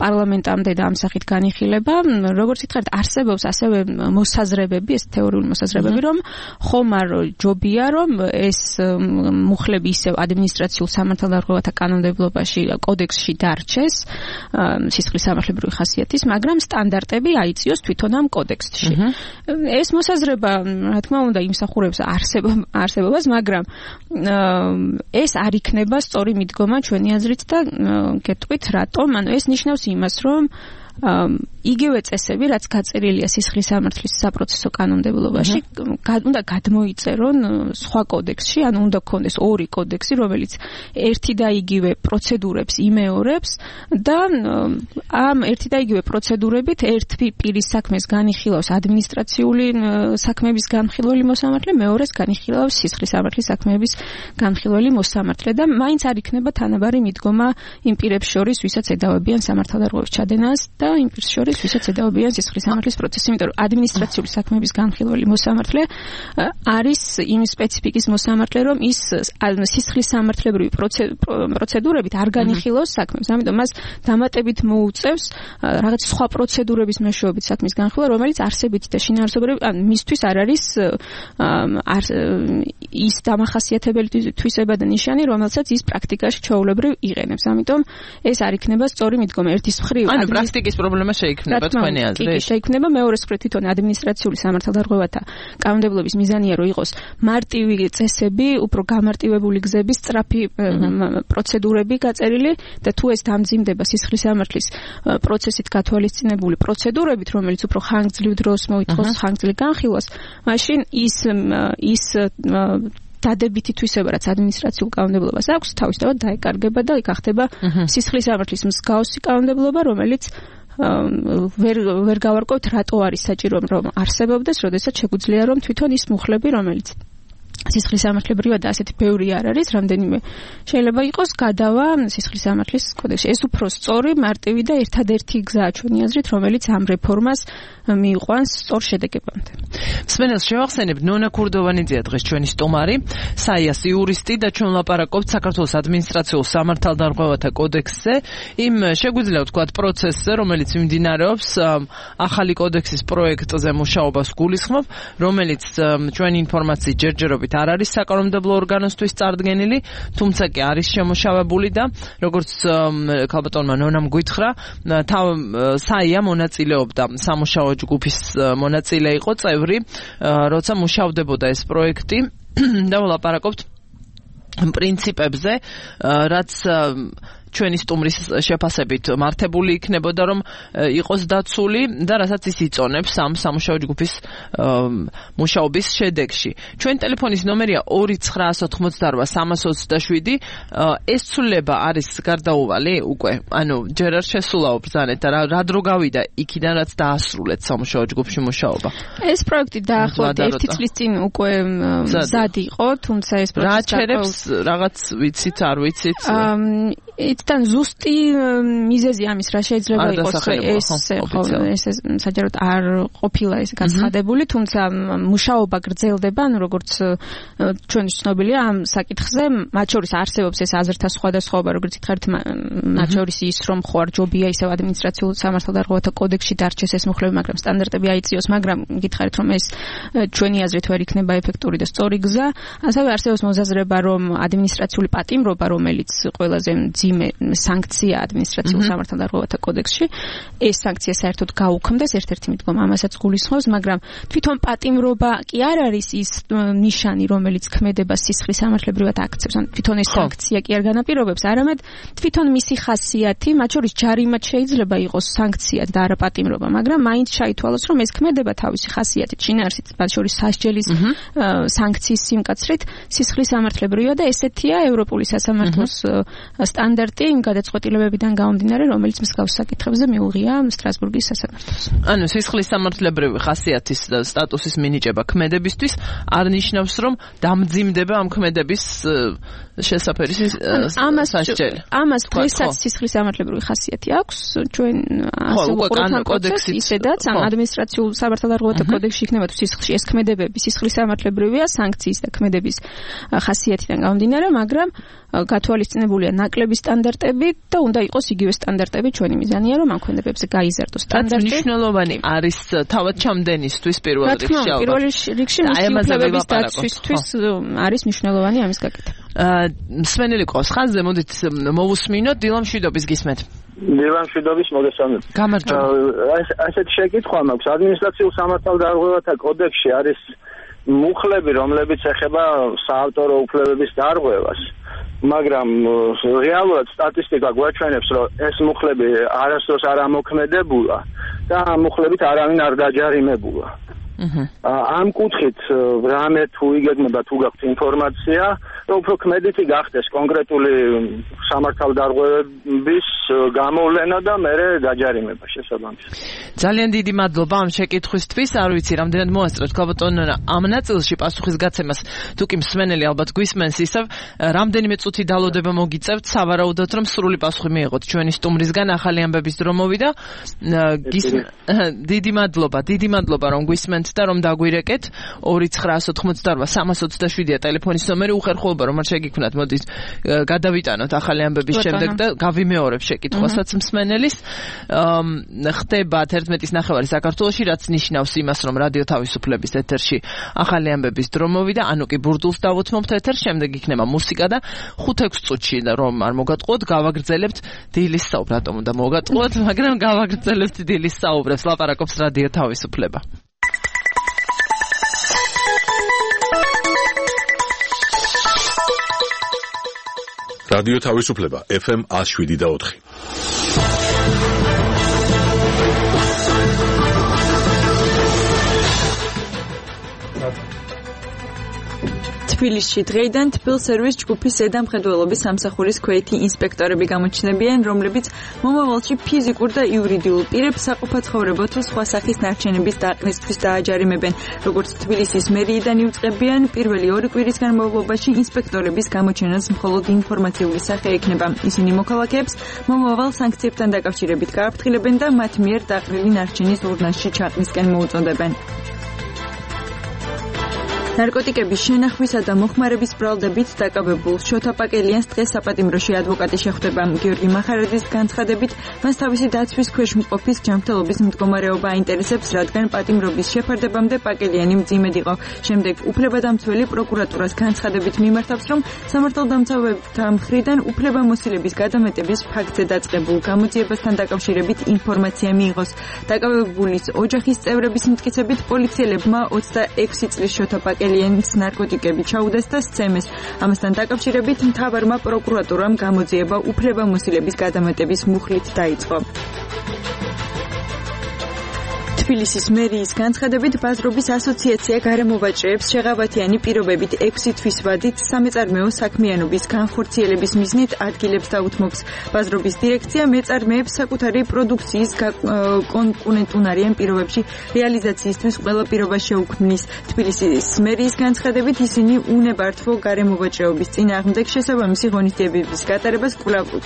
პარლამენტამდე და ამ სახით განიხილება როგორც ითხრათ არსებობს ასევე მოსაზრებები ეს თეორიული მოსაზრებები რომ ხომარ ჯობია რომ ეს მუხლები ისევ ადმინისტრაციულ სამართალდარღვევათა კანონმდებლობაში კოდექსში დარჩეს სისხლის სამართლებრივი ხასიათის მაგრამ სტანდარტები აიწიოს თვითონ ამ კოდექსში ეს მოსაზრება, რა თქმა უნდა, იმსახურებს არსებობას, მაგრამ ეს არ იქნება სწორი მიდგომა ჩვენი აზრით და გეტყვით რატომ? ანუ ეს ნიშნავს იმას, რომ იგივე წესები, რაც გაწერილია სისხლის სამართლის საპროცესო კანონმდებლობაში, უნდა გადმოიწერონ სხვა კოდექსში, ანუ უნდა გქონდეს ორი კოდექსი, რომელიც ერთი და იგივე პროცედურებს იმეორებს და ამ ერთი და იგივე პროცედურებით ერთი პირის საქმეს განიხილავს ადმინისტრაციული საქმეების განხილველი მოსამართლე, მეორეს განიხილავს სისხლის სამართლის საქმეების განხილველი მოსამართლე და მაინც არ იქნება თანაბარი მიდგომა იმ პირებს შორის, ვისაც ედავებიან სამართალდარღვევის ჩადენას და იმ პირს შორის, ვისაც ედავებიან სისხლის სამართლის პროცესი, იმიტომ რომ ადმინისტრაციული საქმეების განხილველი მოსამართლე არის იმ სპეციფიკის მოსამართლე, რომ ის სისხლის სამართლებრივი პროცედურებით არ განიხილავს საქმეს. ამიტომ მას დამატებით მოუწევს რაღაც სხვა პროცედურების მეშვეობით საქმის განხილვა, რომელიც არსებითი და შინაარსობრივი, ან მისთვის არ არის ის დამახასიათებელი თვისება და ნიშანი, რომელსაც ის პრაქტიკაში ჩვეულებრივ იყენებს. ამიტომ ეს არ იქნება სწორი მიდგომა. ერთის მხრივ ანუ პრაქტიკის პრობლემა შეიქმნება თქვენი აზრით. კი, შეიქმნება. მეორეს მხრივ თვითონ ადმინისტრაციული სამართალდარღვევათა კანონმდებლობის მიზანია, რომ იყოს მარტივი წესები, უფრო გამარტივებული გზების, სწრაფი პროცედურები გაწერილი და თუ ეს დამძიმდება სისხლის სამართლის პროცესით გათვალისწინებული პროცედურებით, რომელიც უფრო ხანგრძლივ დროს მოითხოვს ხანგრძლივ განხილვას, მაშინ ის ის დადებითი თვისება, რაც ადმინისტრაციულ კანონმდებლობას აქვს, თავისთავად დაეკარგება და გახდება სისხლის სამართლის მსგავსი კანონმდებლობა, რომელიც ვერ ვერ გავარკვევთ, რატო არის საჭირო რომ არსებობდეს, როდესაც შეგვიძლია რომ თვითონ ის მუხლები, რომელიც სისხლის სამართლებრივად და ასეთი ბევრი არ არის, რამდენიმე შეიძლება იყოს გადავა სისხლის სამართლის კოდექსში. ეს უფრო სწორი, მარტივი და ერთადერთი გზაა ჩვენი აზრით, რომელიც ამ რეფორმას მიიყვანს სწორ შედეგებამდე. მსმენელს შევახსენებთ, ნონა ქურდოვანიძეა დღეს ჩვენი სტუმარი, საიას იურისტი და ჩვენ ვლაპარაკობთ საქართველოს ადმინისტრაციულ სამართალდარღვევათა კოდექსზე, იმ შეგვიძლია ვთქვათ პროცესზე, რომელიც მიმდინარეობს ახალი კოდექსის პროექტზე მუშაობას გულისხმობ, რომელიც ჩვენი ინფორმაციით ჯერჯერობით არ არის საკანონმდებლო ორგანოსთვის წარდგენილი, თუმცა კი არის შემოშავებული და როგორც ქალბატონმა ნონამ გითხრა, საია მონაწილეობდა სამუშაო ჯგუფის მონაწილე იყო წევრი, როცა მუშავდებოდა ეს პროექტი და ვლაპარაკობთ პრინციპებზე, რაც ჩვენი სტუმრის შეფასებით მართებული იქნებოდა, რომ იყოს დაცული და რასაც ის იწონებს ამ სამუშაო ჯგუფის მუშაობის შედეგში. ჩვენი ტელეფონის ნომერია ორი ცხრაასი ოთხმოცდარვა სამას ოცდაშვიდი. ეს ცვლილება არის გარდაუვალი უკვე, ანუ ჯერ არ შესულაო ბრძანეთ და რა დრო გავიდა იქიდან, რაც დაასრულეთ სამუშაო ჯგუფში მუშაობა. ეს პროექტი დაახლოებით ერთი წლის წინ უკვე მზად იყო, თუმცა ეს პროექტი რა ჩერებს რაღაც ვიცით, არ ვიცით? თან ზუსტი მიზეზი ამის რა შეიძლება იყოს ეს ეს საჯაროდ არ ყოფილა ეს განცხადებული, თუმცა მუშაობა გრძელდება, ანუ როგორც ჩვენი ცნობილია ამ საკითხზე, მათ შორის არსებობს ეს აზრთა სხვადასხვაობა, როგორც ითხარით, მათ შორის ის რომ ხო არ ჯობია ისევ ადმინისტრაციულ სამართალდარღვევათა კოდექსში დარჩეს ეს მუხლები, მაგრამ სტანდარტები აიწიოს, მაგრამ გითხარით რომ ეს ჩვენი აზრით ვერ იქნება ეფექტური და სწორი გზა. ასევე არსებობს მოსაზრება, რომ ადმინისტრაციული პატიმრობა, რომელიც ყველაზე მძიმე სანქცია ადმინისტრაციულ სამართალდარღვევათა კოდექსში, ეს სანქცია საერთოდ გაუქმდეს, ერთ-ერთი მიდგომა ამასაც გულისხმობს, მაგრამ თვითონ პატიმრობა კი არ არის ის ნიშანი, რომელიც ქმედება სისხლის სამართლებრივად აქცევს. ან თვითონ ეს სანქცია კი არ განაპირობებს, არამედ თვითონ მისი ხასიათი, მათ შორის ჯარიმად შეიძლება იყოს სანქცია და არა პატიმრობა, მაგრამ მაინც ჩაითვალოს, რომ ეს ქმედება თავისი ხასიათით, შინაარსით, მათ შორის სასჯელის სანქციის სიმკაცრით, სისხლის სამართლებრივად და ესეთია ევროპული სასამართლოს სტანდარტი იმ გადაწყვეტილებებიდან გამომდინარე, რომელიც მსგავს საკითხებზე მიუღია სტრასბურგის სასამართლოს. ანუ სისხლის სამართლებრივი ხასიათის და სტატუსის მინიჭება ქმედებისთვის არ ნიშნავს, რომ დამძიმდება ამ ქმედების შესაფერი სასჯელი. ამას დღესაც სისხლის სამართლებრივი ხასიათი აქვს, ჩვენ ასე უყურებთ კოდექსით, ისედაც ამ ადმინისტრაციულ სამართალდარღვევათა კოდექსში იქნება თუ სისხლში ეს ქმედებები სისხლის სამართლებრივია სანქციის და ქმედების ხასიათიდან გამომდინარე, მაგრამ გათვალისწინებულია ნაკლები სტანდარტები და უნდა იყოს იგივე სტანდარტები, ჩვენი მიზანია რომ ამ ქმედებებზე გაიზარდოს სტანდარტი. მნიშვნელოვანი არის თავად ჩამდენისთვის პირველ რიგში. პირველ რიგში მისიუფლების დაცვისთვის არის მნიშვნელოვანი ამის გაკეთება. მსმენელი ყავს ხაზზე, მოდით მოვუსმინოთ, დილამ შვიდობის გისმენთ. დილამ შვიდობის მოგესალმებით. გამარჯობა. ასეთი შეკითხვა მაქვს. ადმინისტრაციულ სამართალდარღვევათა კოდექსში არის მუხლები, რომლებიც ეხება საავტორო უფლებების დარღვევას. მაგრამ რეალურად სტატისტიკა გვაჩვენებს, რომ ეს მუხლები არასდროს არ ამოქმედებულა და ამ მუხლებით არავინ არ დაჯარიმებულა. ამ კუთხით რამე თუ იგეგმება თუ გაქვთ ინფორმაცია, რომ უფრო ქმედითი გახდეს კონკრეტული სამართალდარღვევების გამოვლენა და მერე დაჯარიმება შესაბამისად. ძალიან დიდი მადლობა ამ შეკითხვისთვის. არ ვიცი, რამდენად მოასწროთ ქალბატონ ამ ნაწილში პასუხისგაცემას, თუ კი მსმენელი ალბათ გვისმენს ისევ, რამდენიმე წუთი დალოდება მოგიწევთ, სავარაუდოდ რომ სრული პასუხი მიიღოთ ჩვენი სტუმრისგან. ახალი ამბების დრო მოვიდა. დიდი მადლობა, დიდი მადლობა რომ გვისმენთ და რომ დაგვირეკეთ. ორი ცხრა ოთხმოცდაორვა სამას ოცდაშვიდია ტელეფონის ნომერი. უხერხულობა რომ არ შეგიქმნათ, მოდით გადავიტანოთ ახალი ამბების შემდეგ და გავიმეორებ შეკითხვასაც მსმენელის. ხდება ერთმეტის ნახევარი საქართველოში, რაც ნიშნავს იმას, რომ რადიო თავისუფლების ეთერში ახალი ამბების დრო მოვიდა, ანუ კი ბურდულს დავუთმობთ ეთერს, შემდეგ იქნება მუსიკა და ხუთ-ექვს წუთში რომ არ მოგატყუოთ, გავაგრძელებთ დილის საუბრს. რატომ უნდა მოგატყუოთ, მაგრამ გავაგრძელებთ დილის საუბრებს. ლაპარაკობს რადიო თავისუფლება. რადიო თავისუფლება ეფ ემ one oh seven და four. თბილისში დღეიდან თბილ სერვის ჯგუფის ზედამხედველობის სამსახურის ქვეითი ინსპექტორები გამოჩნდებიან, რომლებიც მომავალში ფიზიკურ და იურიდიულ პირებს საყოფაცხოვრებო თუ სხვა სახის ნარჩენების დაყრდნისთვის დააჯარიმებენ. როგორც თბილისის მერიიდან იუწყებიან, პირველი ორი კვირის განმავლობაში ინსპექტორების გამოჩენას მხოლოდ ინფორმაციული სახე ექნება. ისინი მოქალაქეებს მომავალ სანქციებთან დაკავშირებით გააფრთხილებენ და მათ მიერ დაყრდნილი ნარჩენის ურნაში ჩაყრისკენ მოუწოდებენ. ნარკოტიკების შენახვისა და მოხმარების ბრალდებით დაკავებულ შოთა პაკელიანს დღეს საპატიმროში ადვოკატი შეხვდება. გიორგი მახარაძის განცხადებით, მას თავისი დაცვის ქვეშ მყოფის ჯანმრთელობის მდგომარეობა აინტერესებს, რადგან პატიმრობის შეფარდებამდე პაკელიანი მძიმედ იყო. შემდეგ უფლებადამცველი პროკურატურას განცხადებით მიმართავს, რომ სამართალდამცავებთა მხრიდან უფლებამოსილების გადამეტების ფაქტზე დაწყებულ გამოძიებასთან დაკავშირებით ინფორმაცია მიიღოს. დაკავებულის ოჯახის წევრების მტკიცებით, პოლიციელებმა ოცდაექვსი წლის შოთა პაკელიანს ელიანს ნარკოტიკები ჩაუდეს და სცემეს. ამასთან დაკავშირებით მთავარმა პროკურატურამ გამოძიება უფლებამოსილების გადამეტების მუხლით დაიწყო. თბილისის მერიის განცხადებით, ბაზრობის ასოციაცია გარემოვაჭრეებს შეღავათიანი პირობებით ექვსი თვის ვადით სამეწარმეო საქმიანობის განხორციელების მიზნით ადგილებს დაუთმობს. ბაზრობის დირექცია მეწარმეებს საკუთარი პროდუქციის კონკურენტუნარიან პირობებში რეალიზაციისთვის ყველა პირობა შეუქმნის. თბილისის მერიის განცხადებით, ისინი უნებართვო გარემოვაჭრეობის წინააღმდეგ შესაბამისი ღონისძიებების გატარებას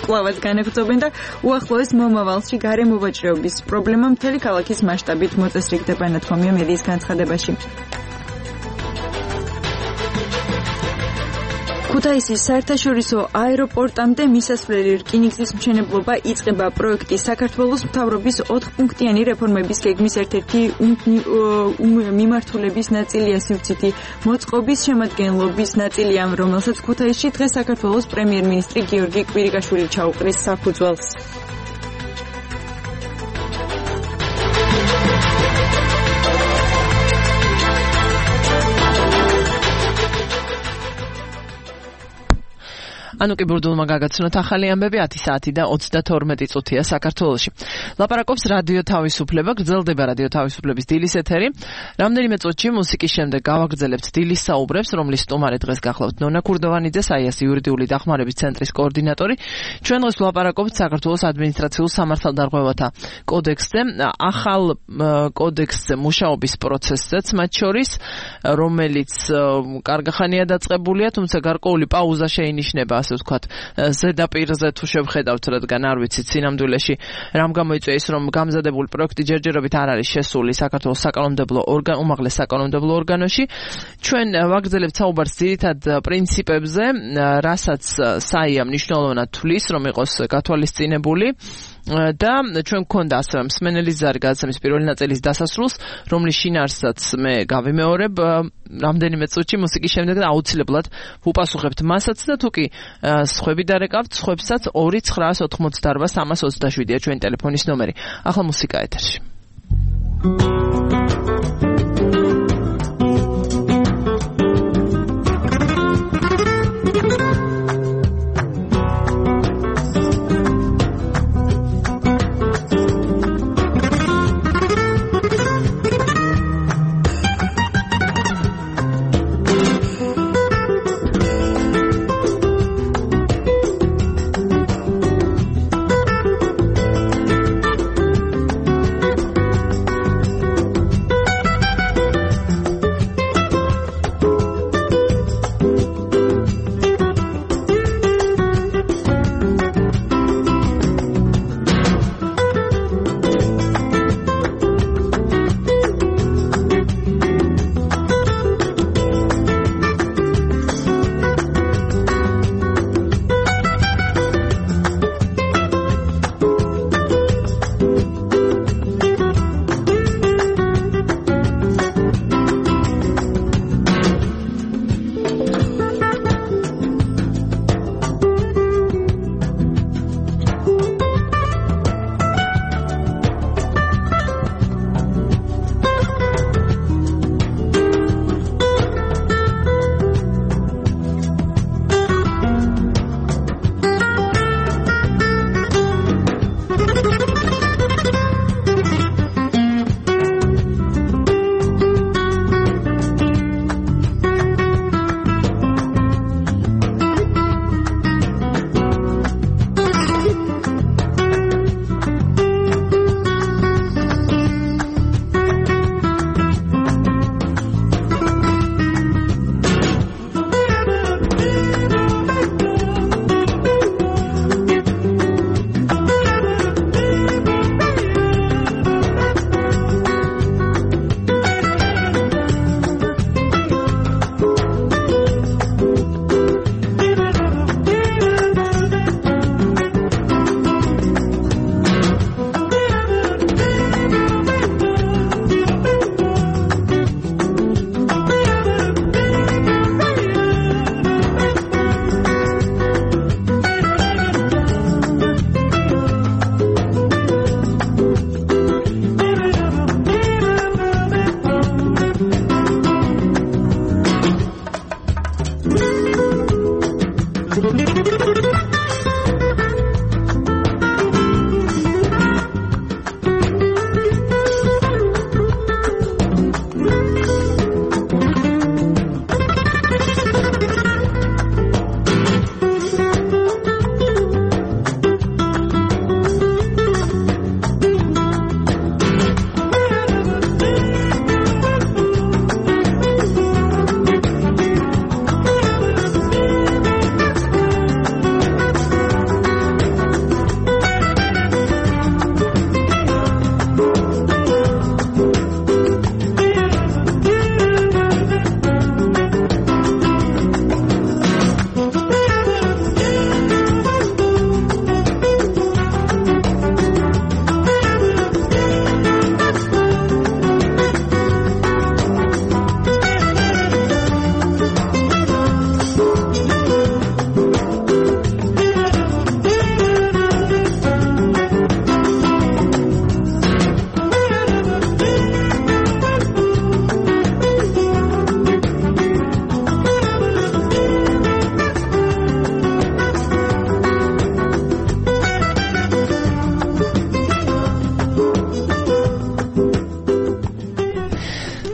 კვლავაც განაგრძობენ და უახლოეს მომავალში გარემოვაჭრეობის პრობლემა მთელი ქალაქის მასშტაბით მოწესრიგდება, ნათქვამია მედიის განცხადებაში. ქუთაისის საერთაშორისო აეროპორტამდე მისასვლელი რკინიგზის მშენებლობა იწყება. პროექტი საქართველოს მთავრობის ოთხპუნქტიანი რეფორმების გეგმის ერთ-ერთი მიმართულების ნაწილია. სივრცითი მოწყობის შემადგენლობის ნაწილია, რომელსაც ქუთაისში დღეს საქართველოს პრემიერ-მინისტრი გიორგი კვირიკაშვილი ჩაუყრის საფუძველს. ანუ კი ბურდულმა გაგაცნოთ ახალი ამბები ათი საათი და ოცდათორმეტი წუთია საქართველოში. ლაპარაკობს რადიო თავისუფლება, გრძელდება რადიო თავისუფლების დილის ეთერი. რამდენიმე წუთში მუსიკის შემდეგ გავაგრძელებთ დილის საუბრებს, რომლის სტუმარი დღეს გახლავთ ნონა ქურდოვანიძე, საიას იურიდიული დახმარების ცენტრის კოორდინატორი. ჩვენ დღეს ვლაპარაკობთ საქართველოს ადმინისტრაციულ სამართალდარღვევათა კოდექსზე, ახალ კოდექსზე მუშაობის პროცესზეც მათ შორის, რომელიც კარგახანია დაწყებულია, თუმცა გარკვეული პაუზა შეინიშნება, ასე ვთქვათ, ზედაპირზე თუ შევხედავთ, რადგან არ ვიცით სინამდვილეში რამ გამოიწვია ის, რომ გამზადებული პროექტი ჯერჯერობით არ არის შესული საქართველოს საკანონმდებლო ორგანო, უმაღლეს საკანონმდებლო ორგანოში. ჩვენ ვაგრძელებთ საუბარს ძირითად პრინციპებზე, რასაც საია მნიშვნელოვნად თვლის, რომ იყოს გათვალისწინებული. და ჩვენ გქონდა ასევე მსმენელის ზარი გადაცემის პირველი ნაწილის დასასრულს, რომლის შინაარსაც მე გავიმეორებ რამდენიმე წუთში მუსიკის შემდეგ და აუცილებლად ვუპასუხებთ მასაც და თუ კი სხვები დარეკავთ, სხვებსაც ორი ცხრა ოთხმოცდაორვა სამას ოცდაშვიდია ჩვენი ტელეფონის ნომერი. ახლა მუსიკა ეთერში.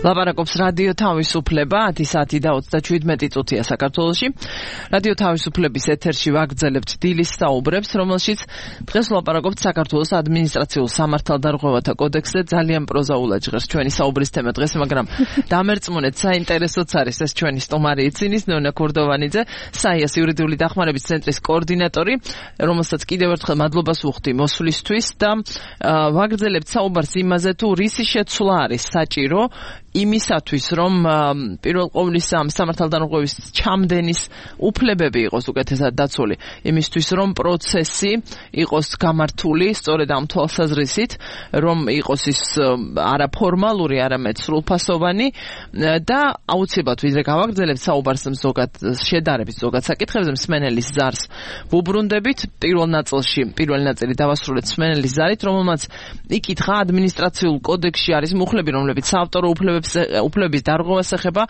ლაპარაკობს რადიო თავისუფლება, ათი საათი და ოცდაშვიდმეტი წუთია საქართველოში. რადიო თავისუფლების ეთერში ვაგრძელებთ დილის საუბრებს, რომელშიც დღეს ლაპარაკობთ საქართველოს ადმინისტრაციულ სამართალდარღვევათა კოდექსზე. ძალიან პროზაულად ჟღერს ჩვენი საუბრის თემა დღეს, მაგრამ დამერწმუნეთ, საინტერესოც არის ეს ჩვენი სტუმარი იცინის ნონა ქურდოვანიძე, საიას იურიდიული დახმარების ცენტრის კოორდინატორი, რომელსაც კიდევ ერთხელ მადლობას ვუხდი მოსვლისთვის და ვაგრძელებთ საუბარს იმაზე, თუ რისი შეცვლა არის საჭირო იმისათვის, რომ პირველ ყოვლისა სამართალდარღვევის ჩამდენის უფლებები იყოს უკეთესად დაცული, იმისთვის, რომ პროცესი იყოს გამართული სწორედ ამ თვალსაზრისით, რომ იყოს ის არა ფორმალური, არამედ სრულფასოვანი და აუცილებლად ვიდრე გავაგრძელებთ საუბარს ზოგად შედარების ზოგად საკითხებზე მსმენელის ზარს ვუბრუნდებით. პირველ ნაწილში, პირველი ნაწილი დავასრულეთ მსმენელის ზარით, რომელმაც იკითხა ადმინისტრაციულ კოდექსში არის მუხლები, რომლებიც საავტორო უფლებებს უფლების დარღვევას ეხება,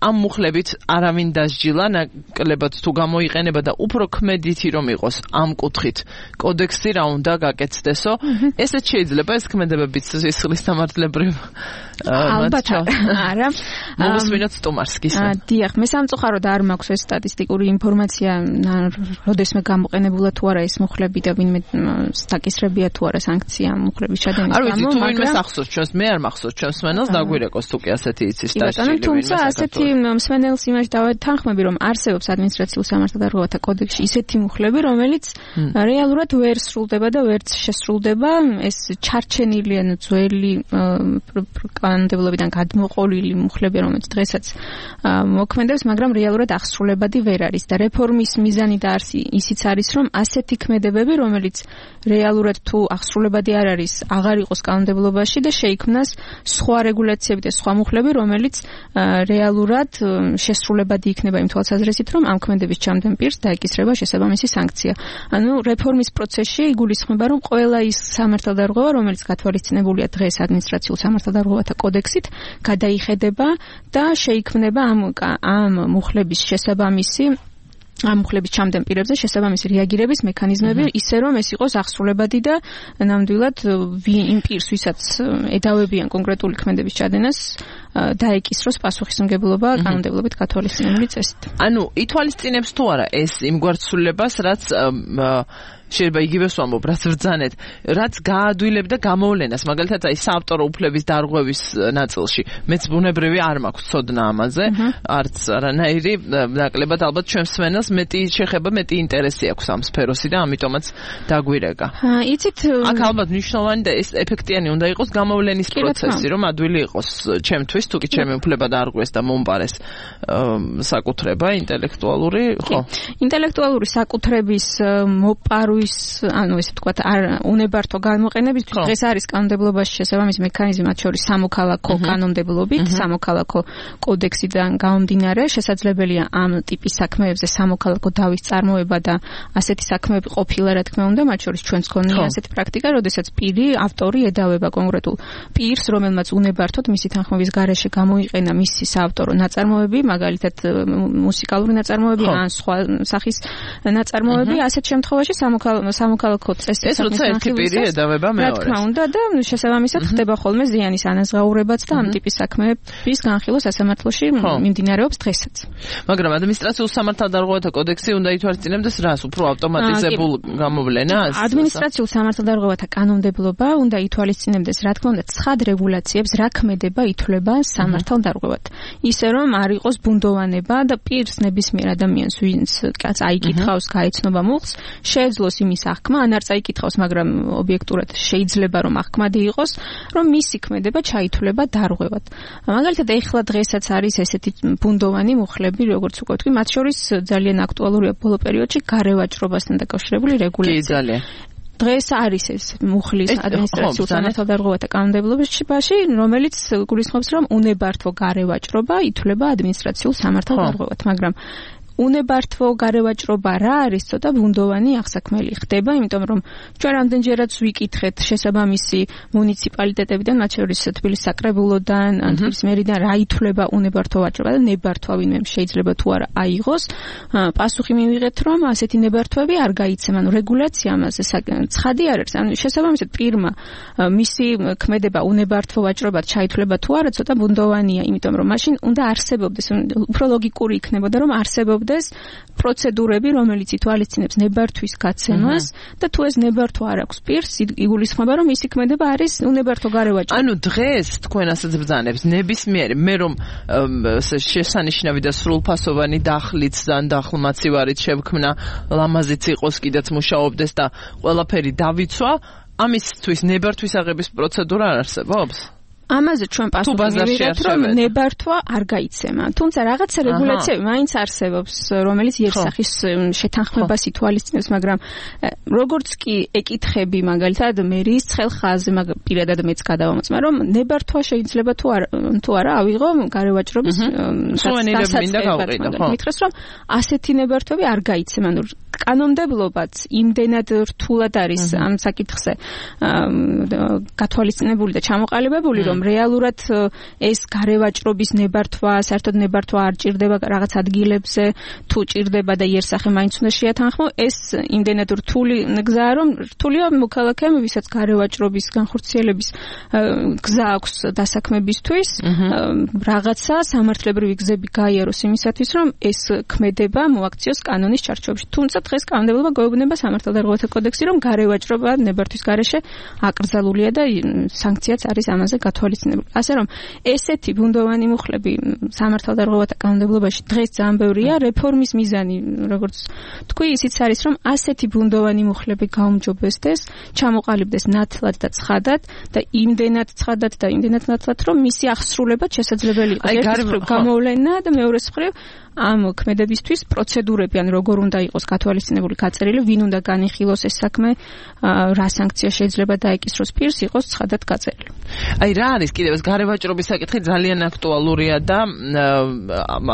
ამ მუხლებით არავინ დასჯილა, ნაკლებად თუ გამოიყენება და უფრო ქმედითი რომ იყოს ამ კუთხით კოდექსი რა უნდა გაკეთდესო. ესეც შეიძლება ეს ქმედებებიც სისხლის სამართლებრივ ალბათ არა. მოვუსმინოთ სტუმარს გისმენთ. დიახ, მე სამწუხაროდ არ მაქვს ეს სტატისტიკური ინფორმაცია, როდესმე გამოყენებულა თუ არა ეს მუხლები და ვინმე დაკისრებია თუ არა სანქცია მუხლების ჩადენის გამო. არ ვიცი, თუ ვინმე ახსოვს ჩვენს, მე არ მახსოვს ჩვენს მსმენელს, დაგვირეკოს თუ კი ასეთი იცის დასჯილი. თუმცა ასეთი მსმენელს იმაში დავეთანხმები, რომ არსებობს ადმინისტრაციულ სამართალდარღვევათა კოდექსში ისეთი მუხლები, რომელიც რეალურად ვერ სრულდება და ვერც შესრულდება. ეს ჩარჩენილი ან ძველი კანონმდებლობიდან გადმოყოლილი მუხლები, რომელიც დღესაც მოქმედებს, მაგრამ რეალურად აღსრულებადი ვერ არის და რეფორმის მიზანი და არსი ისიც არის, რომ ასეთი ქმედებები, რომელიც რეალურად თუ აღსრულებადი არ არის, აღარ იყოს კანონმდებლობაში და შეიქმნას სხვა რეგულაციები და სხვა მუხლები, რომელიც რეალურად შესრულებადი იქნება იმ თვალსაზრისით, რომ ამ ქმედების ჩამდენ პირს დაეკისრება შესაბამისი სანქცია. ანუ რეფორმის პროცესში იგულისხმება, რომ ყველა ის სამართალდარღვევა, რომელიც გათვალისწინებულია დღეს ადმინისტრაციულ სამართალდარღვევათა კოდექსით, გადაიხედება და შეიქმნება ამ ამ მუხლების შესაბამისი ამ მუხლების ჩამდენ პირებზე შესაბამისი რეაგირების მექანიზმები, ისე რომ ეს იყოს აღსრულებადი და ნამდვილად იმ პირს, ვისაც ედავებიან კონკრეტული ქმედების ჩადენას, დაეკისროს პასუხისმგებლობა კანონმდებლობით გათვალისწინებული წესით. ანუ ითვალისწინებს თუ არა ეს იმგვარ ცვლილებას, რაც შეიძლება იგივეს ვამბობ, რაც ბრძანეთ, რაც გაადვილებდა გამოვლენას, მაგალითად აი საავტორო უფლების დარღვევის ნაწილში. მეც ბუნებრივი არ მაქვს ცოდნა ამაზე, არც არანაირი, ნაკლებად ალბათ ჩვენს მსმენელს მეტი შეხება, მეტი ინტერესი აქვს ამ სფეროსი და ამიტომაც დაგვირეკა. იცით, აქ ალბათ მნიშვნელოვანი და ეს ეფექტიანი უნდა იყოს გამოვლენის პროცესი, რომ ადვილი იყოს ჩემთვის, თუ კი ჩემი უფლება დაარღვეს და მომპარეს საკუთრება ინტელექტუალური, ხო? ინტელექტუალური საკუთრების მოპარვის ანუ ესე ვთქვათ, არ უნებართო გამოყენებისთვის დღეს არის კანონმდებლობაში შესაბამისი მექანიზმი, მათ შორის სამოქალაქო კანონმდებლობით, სამოქალაქო კოდექსიდან გამომდინარე, შესაძლებელია ამ ტიპის საქმეებზე სამოქალაქო დავის წარმოება და ასეთი საქმეები ყოფილა, რა თქმა უნდა, მათ შორის ჩვენს გქონია ასეთი პრაქტიკა, როდესაც პირი, ავტორი ედავება კონკრეტულ პირს, რომელმაც უნებართოდ მისი თანხმობის გარეშე გამოიყენა მისი საავტორო ნაწარმოები, მაგალითად მუსიკალური ნაწარმოები ან სხვა სახის ნაწარმოები, ასეთ შემთხვევაში სამოქალაქო წესით ეს როცა ერთი პირი ედავება მეორეს. რა თქმა უნდა და შესაბამისად ხდება ხოლმე ზიანის ანაზღაურებაც და ამ ტიპის საქმეების განხილვა სასამართლოში მიმდინარეობს დღესაც. მაგრამ ადმინისტრაციულ სამართალდარღვევათა კოდექსი უნდა ითვალისწინებდეს რას, უფრო ავტომატიზებულ გამოვლენას? ადმინისტრაციულ სამართალდარღვევათა კანონმდებლობა უნდა ითვალისწინებდეს, რა თქმა უნდა, ცხად რეგულაციებს, რა ქმედება ითვლება სამართალდარღვევად. ისე რომ არ იყოს ბუნდოვანება და პირს ნებისმიერ ადამიანს, ვინც კაც აიკითხავს, გაეცნობა მუხლს, შეეძლოს იმის აღქმა, ან არ წაიკითხავს, მაგრამ ობიექტურად შეიძლება რომ აღქმადი იყოს, რომ მისი ქმედება ჩაითვლება დარღვევად. მაგალითად, ეხლა დღესაც არის ესეთი ბუნდოვანი მუხლები, როგორც უკვე ვთქვი, მათ შორის ძალიან აქტუალურია ბოლო პერიოდში გარევაჭრობასთან დაკავშირებული რეგულაცია. კი, ძალიან. დღეს არის ეს მუხლის ადმინისტრაციულ სამართალდარღვევათა კანონმდებლობაში, რომელიც გულისხმობს, რომ უნებართვო გარევაჭრობა ითვლება ადმინისტრაციულ სამართალდარღვევად, მაგრამ უნებართვო გარევაჭრობა რა არის, ცოტა ბუნდოვანი აღსაქმელი ხდება, იმიტომ რომ ჩვენ რამდენჯერაც ვიკითხეთ შესაბამისი მუნიციპალიტეტებიდან, მათ შორის თბილისის საკრებულოდან, ან თბილისის მერიდან რა ითვლება უნებართვო ვაჭრობა და ნებართვა ვინმე შეიძლება თუ არა აიღოს. პასუხი მივიღეთ, რომ ასეთი ნებართვები არ გაიცემა, ანუ რეგულაცია ამაზე ცხადი არ არის. ანუ შესაბამისად პირმა მისი ქმედება უნებართვო ვაჭრობად ჩაითვლება თუ არა, ცოტა ბუნდოვანია, იმიტომ რომ მაშინ უნდა არსებობდეს, უფრო ლოგიკური იქნებოდა, რომ არსებობდეს პროცედურები, რომელიც ითვალისწინებს ნებართვის გაცემას და თუ ეს ნებართვა არ აქვს პირს, იგულისხმება, რომ მისი ქმედება არის უნებართვო გარევაჭრობა. ანუ დღეს თქვენ ასეც ბრძანებს ნებისმიერი, მე რომ შესანიშნავი და სრულფასოვანი დახლიც ან დახლმაცივარით შევქმნა, ლამაზიც იყოს, კიდეც მუშაობდეს და ყველაფერი დავიცვა, ამისთვის ნებართვის აღების პროცედურა არ არსებობს? ამაზე ჩვენ პასუხი მივიღეთ, რომ ნებართვა არ გაიცემა. თუმცა რაღაცა რეგულაციები მაინც არსებობს, რომელიც იერსახის შეთანხმებას ითვალისწინებს, მაგრამ როგორც კი ეკითხები მაგალითად მერის ცხელხაზზე, მაგრამ პირადად მეც გადავამოწმა, რომ ნებართვა შეიძლება თუ არა თუ არა ავიღო გარევაჭრობის დასაწყებად. მითხრეს, რომ ასეთი ნებართვები არ გაიცემა. ანუ კანონმდებლობაც იმდენად რთულად არის ამ საკითხზე გათვალისწინებული და ჩამოყალიბებული, რომ რეალურად ეს გარევაჭრობის ნებართვა, საერთოდ ნებართვა არ ჭირდება რაღაც ადგილებზე, თუ ჭირდება და იერსახე მაინც უნდა შეათანხმო, ეს იმდენად რთული გზაა, რომ რთულია მოქალაქემ, ვისაც გარევაჭრობის განხორციელების გზა აქვს დასაქმებისთვის, რაღაცა სამართლებრივი გზები გაიაროს იმისათვის, რომ ეს ქმედება მოაქციოს კანონის ჩარჩოებში. თუმცა დღეს კანონმდებლობა გვეუბნება სამართალდარღვევათა კოდექსი, რომ გარევაჭრობა ნებართვის გარეშე აკრძალულია და სანქციაც არის ამაზე გათვალისწინებული. ასე რომ ესეთი ბუნდოვანი მუხლები სამართალდარღვევათა კანონმდებლობაში დღეს ძალიან ბევრია, რეფორმის მიზანი, როგორც თქვი, ისიც არის, რომ ასეთი ბუნდოვანი მუხლები გაუმჯობესდეს, ჩამოყალიბდეს ნათლად და ცხადად და იმდენად ცხადად და იმდენად ნათლად, რომ მისი აღსრულება შესაძლებელი იყოს. ერთის მხრივ გამოვლენა და მეორეს მხრივ ამ ქმედებისთვის პროცედურები, ან როგორ უნდა იყოს გათვალისწინებული გაწერილი, ვინ უნდა განიხილოს ეს საქმე, რა სანქცია შეიძლება დაეკისროს პირს, იყოს ცხადად გაწერილი. აი რა არის კიდევ ეს გარევაჭრობის საკითხი ძალიან აქტუალურია და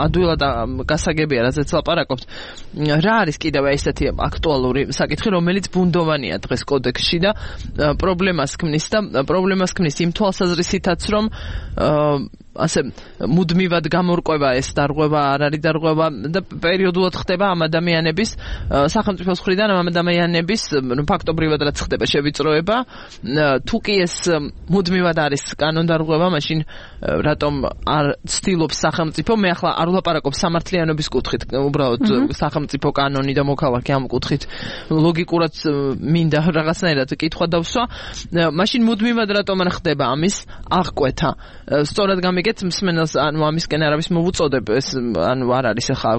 ადვილად გასაგებია, რაზეც ლაპარაკობთ. რა არის კიდევ ესეთი აქტუალური საკითხი, რომელიც ბუნდოვანია დღეს კოდექსში და პრობლემას ქმნის და პრობლემას ქმნის იმ თვალსაზრისითაც, რომ ასე მუდმივად გამორკვევა ეს დარღვევა არ არის დარღვევა და პერიოდულად ხდება ამ ადამიანების სახელმწიფოს მხრიდან ამ ადამიანების ფაქტობრივად რაც ხდება შევიწროება. თუ კი ეს მუდმივად არის კანონდარღვევა, მაშინ რატომ არ ცდილობს სახელმწიფო, მე ახლა არ ვლაპარაკობ სამართლიანობის კუთხით, უბრალოდ სახელმწიფო კანონი და მოქალაქე ამ კუთხით ლოგიკურად მინდა რაღაცნაირად კითხვა დავსვა, მაშინ მუდმივად რატომ არ ხდება ამის აღკვეთა. სწორად გამიგეთ მსმენელს, ანუ ამისკენ არავის მოვუწოდებ, ეს ანუ არ არის ახლა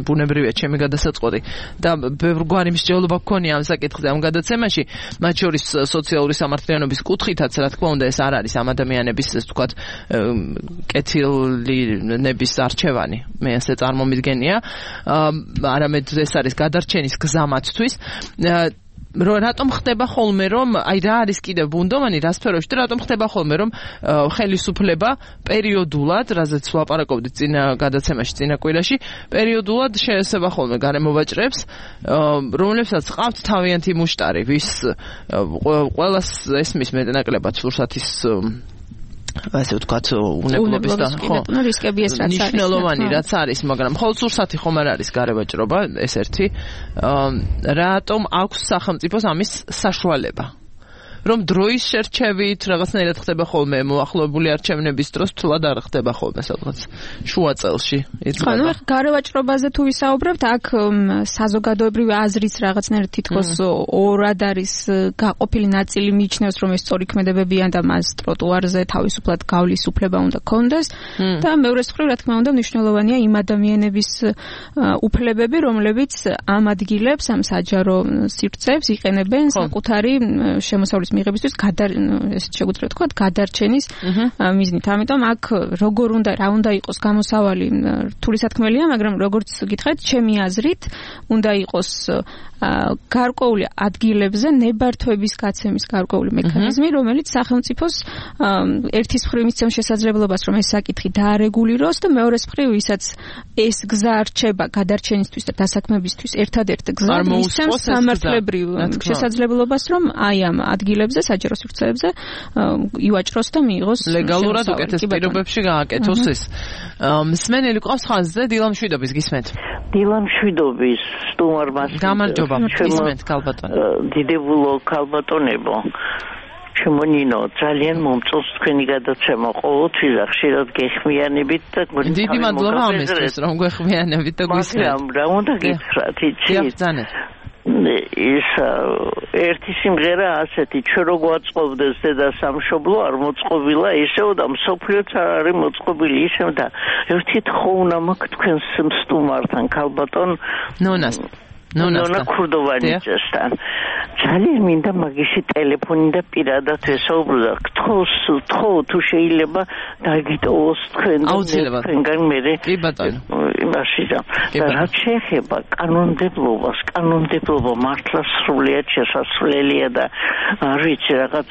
ბუნებრივია ჩემი გადასაწყვეტი და ბევრგვარი მსჯელობა გქონია ამ საკითხზე ამ გადაცემაში, მათ შორის სოციალური სამართლიანობის კუთხითაც, რა თქმა უნდა, ეს არ არის ამ ადამიანების, ეს ვთქვათ, კეთილნების არჩევანი, მე ასე წარმომიდგენია, არამედ ეს არის გადარჩენის გზა მათთვის. რატომ ხდება ხოლმე, რომ აი რა არის კიდევ ბუნდოვანი რა სფეროში და რატომ ხდება ხოლმე, რომ ხელისუფლება პერიოდულად, რაზეც ვლაპარაკობდით წინა გადაცემაში, წინა კვირაში, პერიოდულად შეესება ხოლმე გარემოვაჭრებს, რომლებსაც ყავთ თავიანთი მუშტარი, ვის ყველას ესმის მეტნაკლებად სურსათის ასე ვთქვათ, უნებლობის და ხო, რისკები ეს რაც არის. ნიშნულოვანი რაც არის, მაგრამ მხოლოდ სურსათი ხომ არ არის გარევაჭრობა, ეს ერთი. რატომ აქვს სახელმწიფოს ამის საშუალება? რომ დროის შერჩევით რაღაცნაირად ხდება ხოლმე მოახლოებული არჩევნების დროს, თულად არ ხდება ხოლმე სადღაც შუა წელში. ხო, ნუ გარევაჭრობაზე თუ ვისაუბრებთ, აქ საზოგადოებრივი აზრის რაღაცნაირად თითქოს ორად არის გაყოფილი ნაწილი მიიჩნევს, რომ ეს სწორი ქმედებებიან და მას ტროტუარზე თავისუფლად გავლის უფლება უნდა ქონდეს და მეორეს მხრივ, რა თქმა უნდა, მნიშვნელოვანია იმ ადამიანების უფლებები, რომლებიც ამ ადგილებს, ამ საჯარო სივრცეებს იყენებენ საკუთარი შემოსავლის გადაწყვეტილებების მიღებისთვის გადარ ესე შეგვიძლია თქვა გადარჩენის მიზნით. ამიტომ აქ როგორ უნდა რა უნდა იყოს გამოსავალი რთული სათქმელია, მაგრამ როგორც გითხარით, ჩემი აზრით უნდა იყოს გარკვეული ადგილებზე ნებართვების გაცემის გარკვეული მექანიზმი, რომელიც სახელმწიფოს ერთის მხრივ მისცემს შესაძლებლობას, რომ ეს საკითხი დაარეგულიროს და მეორეს მხრივ, ვისაც ეს გზა რჩება გადარჩენისთვის და დასაქმებისთვის ერთადერთ გზა მისცემს სამართლებრივ შესაძლებლობას, რომ აი ამ ადგილებზე, საჯარო სივრცეებზე ივაჭროს და მიიღოს ლეგალურად უკეთეს პირობებში გააკეთოს ეს. მსმენელი ყავს ხაზზე, დილა მშვიდობის გისმენთ. დილა მშვიდობის სტუმარმა გამარჯობა, გისმენთ ქალბატონო. დიდებულო ქალბატონებო. ჩემო ნინო, ძალიან მომწონს თქვენი გადაცემა ყოველთვის და ხშირად გეხმიანებით და დიდი მადლობა ამისთვის, რომ გეხმიანებით და გვისმენთ. რა უნდა გითხრათ, იცით? ის ერთი სიმღერა ასეთი, ჩვენ რო გვაწყობდეს დედა სამშობლო არ მოწყობილა ისევ და მსოფლიოც არ არის მოწყობილი ისევ და ერთი თხოვნა მაქვს თქვენს სტუმართან ქალბატონ ნონას ნონა ქურდოვანიძესთან. ძალიან მინდა მაგისი ტელეფონი და პირადად ესაუბრო და გთხოვს, გთხოვ თუ შეიძლება დაგიტოვოს თქვენ თქვენგან მერე. კი ბატონო. იმაში და რაც შეეხება კანონმდებლობას, კანონმდებლობა მართლა სრულიად შესაძლებელია და არ ვიცი რაღაც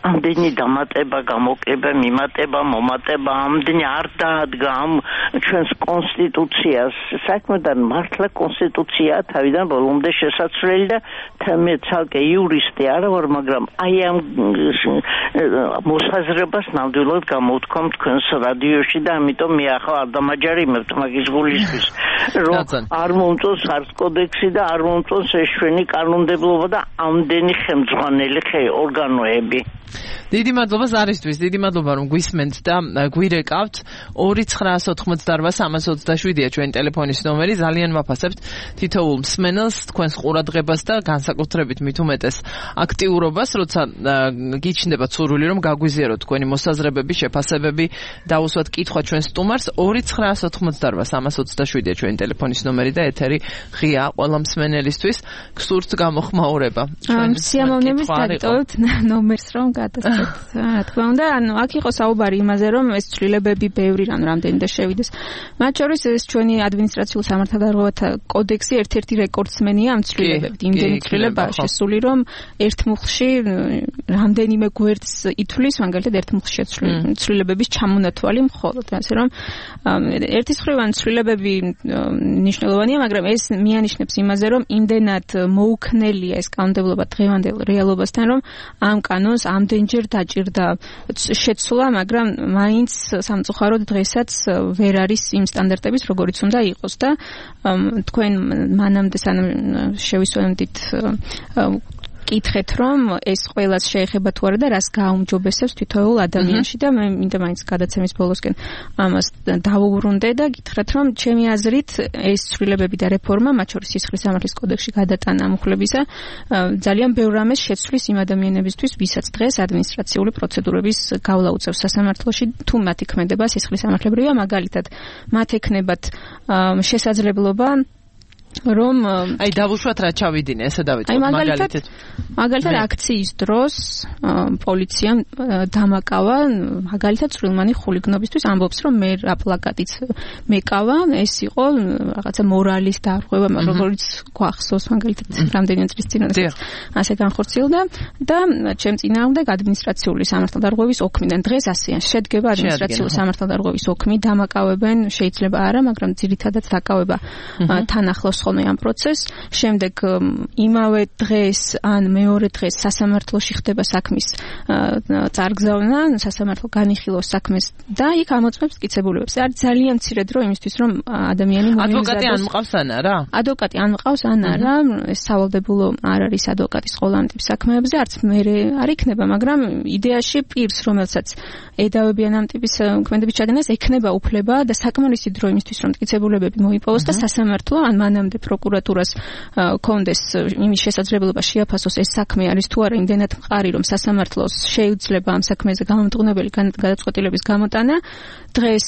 ამდენი დამატება, გამოკლება, მიმატება, მომატება, ამდენი არ დაადგა ამ ჩვენს კონსტიტუციას. საქმედან მართლა კონსტიტუციაა თავიდან ბოლომდე შესაძლებელი და მე ცალკე იურისტი არ ვარ, მაგრამ აი ამ მოსაზრებას ნამდვილად გამოვთქვამ თქვენს რადიოში და ამიტომ მე ახლა არ დამაჯერიმებთ მაგის გულისთვის, რომ არ მომწონს არც კოდექსი და არ მომწონს ეს ჩვენი კანონმდებლობა და ამდენი ხელმძღვანელი ორგანოები. დიდი მადლობა ზარისთვის, დიდი მადლობა რომ გვისმენთ და გვირეკავთ. ორი ცხრაას ოთხმოცდაოთხ სამას ოცდაშვიდია ჩვენი ტელეფონის ნომერი. ძალიან ვაფასებთ თითოეულ მსმენელს, თქვენს ყურადღებას და განსაკუთრებით მით უმეტეს აქტიურობას, როცა გიჩნდება ცურვილი რომ გაგვიზიაროთ თქვენი მოსაზრებები, შეფასებები, დაუსვათ კითხვა ჩვენ სტუმარს. ორი ცხრაას ოთხმოცდაოთხ სამას ოცდაშვიდია ჩვენი ტელეფონის ნომერი და ეთერი ღია ყველა მსმენელისთვის. გსურთ გამოხმაურება. სიამოვნებით დაგიტოვებთ ნომერს რომ გადასცეთ. რა თქმა უნდა, ანუ აქ იყო საუბარი იმაზე, რომ ეს ცვლილებები ბევრი რამ რამდენი და შევიდეს. მათ შორის ეს ჩვენი ადმინისტრაციულ სამართალდარღვევათა კოდექსი ერთ-ერთი რეკორდსმენია ამ ცვლილებებით. იმდენი ცვლილება შესული, რომ ერთ მუხლში რამდენიმე გვერდს ითვლის, მაგალითად ერთ მუხლში ცვლილებების ჩამონათვალი მხოლოდ. ასე რომ ერთის მხრივ ან ცვლილებები მნიშვნელოვანია, მაგრამ ეს მიანიშნებს იმაზე, რომ იმდენად მოუქნელია ეს კანონმდებლობა დღევანდელ რეალობასთან, რომ ამ კანონს ამდენჯერ დაჭირდა შეცვლა, მაგრამ მაინც სამწუხაროდ დღესაც ვერ არის იმ სტანდარტების, როგორიც უნდა იყოს და თქვენ მანამდე სანამ შევისვენდით კითხეთ, რომ ეს ყველას შეეხება თუ არა და რას გააუმჯობესებს თითოეულ ადამიანში და მე მინდა მაინც გადაცემის ბოლოსკენ ამას დავუბრუნდე და გითხრათ, რომ ჩემი აზრით ეს ცვლილებები და რეფორმა, მათ შორის სისხლის სამართლის კოდექსში გადატანა ამხლებისა, ძალიან ბევრ რამეს შეცვლის იმ ადამიანებისთვის, ვისაც დღეს ადმინისტრაციული პროცედურების გავლა უწევს სასამართლოში, თუ მათი ქმედება სისხლის სამართლებრივია, მაგალითად, მათ ექნებათ შესაძლებლობა რომ აი დავუშვათ რა ჩავიდინე, ესე დავიწყოთ მაგალითად მაგალითად აქციის დროს პოლიციამ დამაკავა მაგალითად წვრილმანი ხულიგნობისთვის, ამბობს რომ მე რა პლაკატიც მეკავა, ეს იყო რაღაცა მორალის დარღვევა, როგორც გვახსოვს მაგალითად რამდენიმე წლის წინ ასე განხორციელდა და ჩემ წინააღმდეგ ადმინისტრაციული სამართალდარღვევის ოქმიდან დღეს ასეა შედგება ადმინისტრაციული სამართალდარღვევის ოქმი, დამაკავებენ შეიძლება არა, მაგრამ ძირითადად დაკავება თან ახლავს ხოლმე ამ პროცესს. შემდეგ იმავე დღეს ან მეორე დღეს სასამართლოში ხდება საქმის წარგზავნა, სასამართლო განიხილავს საქმეს და იქ ამოწმებს მტკიცებულებებს. არის ძალიან მცირე დრო იმისთვის, რომ ადამიანი მოიმზადოს. ადვოკატი ან მყავს ან არა? ადვოკატი ან მყავს ან არა, ეს სავალდებულო არ არის ადვოკატის ყველა ამ ტიპის საქმეებზე, არც მე არ იქნება, მაგრამ იდეაში პირს, რომელსაც ედავებიან ამ ტიპის ქმედების ჩადენას, ექნება უფლება და საკმარისი დრო იმისთვის, რომ მტკიცებულებები მოიპოვოს და სასამართლო ან მანამდე პროკურატურას კონდეს იმის შესაძლებლობა შეაფასოს ეს საქმე არის თუ არა იმდენად მყარი, რომ სასამართლოს შეიძლება ამ საქმეზე გამომტყუნებელი გადაწყვეტილების გამოტანა. დღეს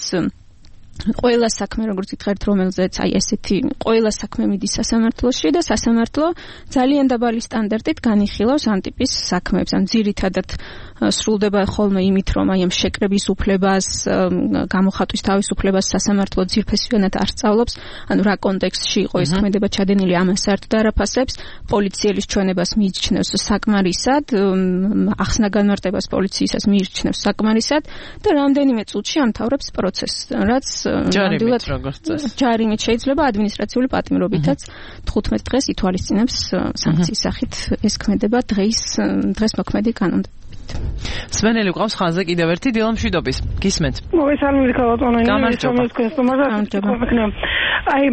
ყველა საქმე როგორც გითხარით რომელზეც აი ესეთი ყველა საქმე მიდის სასამართლოში და სასამართლო ძალიან დაბალი სტანდარტით განიხილავს ამ ტიპის საქმეებს. ან ძირითადად სრულდება ხოლმე იმით რომ აი ამ შეკრების უფლებას, გამოხატვის თავისუფლებას სასამართლო ძირფესვიანად არ სწავლობს, ანუ რა კონტექსტში იყო ეს ქმედება ჩადენილი ამან საერთოდ არ აფასებს, პოლიციელის ჩვენებას მიიჩნევს საკმარისად, ახსნა განმარტებას პოლიციისას მიიჩნევს საკმარისად და რამდენიმე წუთში ამთავრებს პროცესს, რაც ჯარიმით როგორც წესი. ჯარიმით შეიძლება ადმინისტრაციული პატიმრობითაც თხუთმეტ დღეს ითვალისწინებს სანქციის სახით ეს ქმედება დღის დღეს მოქმედი კანონით. სვენელი ყავს ხაზზე კიდევ ერთი დილა მშვიდობის. გისმენთ. მოგესალმებით ქალბატონო, აი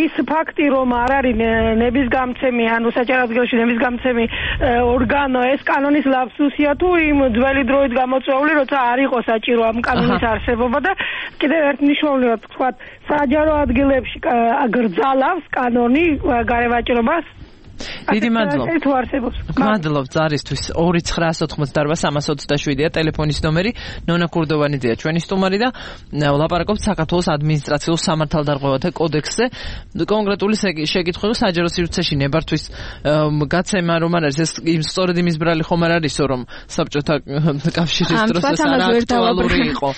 ის ფაქტი რომ არ არის ნების გამცემი, ანუ საჯარო ადგილში ნების გამცემი ორგანო, ეს კანონის ლაფსუსია თუ იმ ძველი დროით გამოწვეული, როცა არ იყო საჭირო ამ კანონის არსებობა და კიდევ ერთ მნიშვნელოვნად თქვა, საჯარო ადგილებში გრძალავს კანონი გარევაჭრობას. დიდი მადლობა. მადლობ ზარისთვის ორი ცხრაას ოთხმოცდაარბა სამას ოცდაშვიდია ტელეფონის ნომერი. ნონა კურდოვანიძეა ჩვენი სტუმარი და ვლაპარაკობთ საქართველოს ადმინისტრაციულ სამართალდარღვევათა კოდექსზე. კონკრეტული შეკითხვა საჯარო სივრცეში ნებართვის გაცემა რომ არ არის ეს სწორედ იმის ბრალი ხომ არ არისო რომ საბჭოთა კავშირის დროს ეს არ აქტუალური იყო.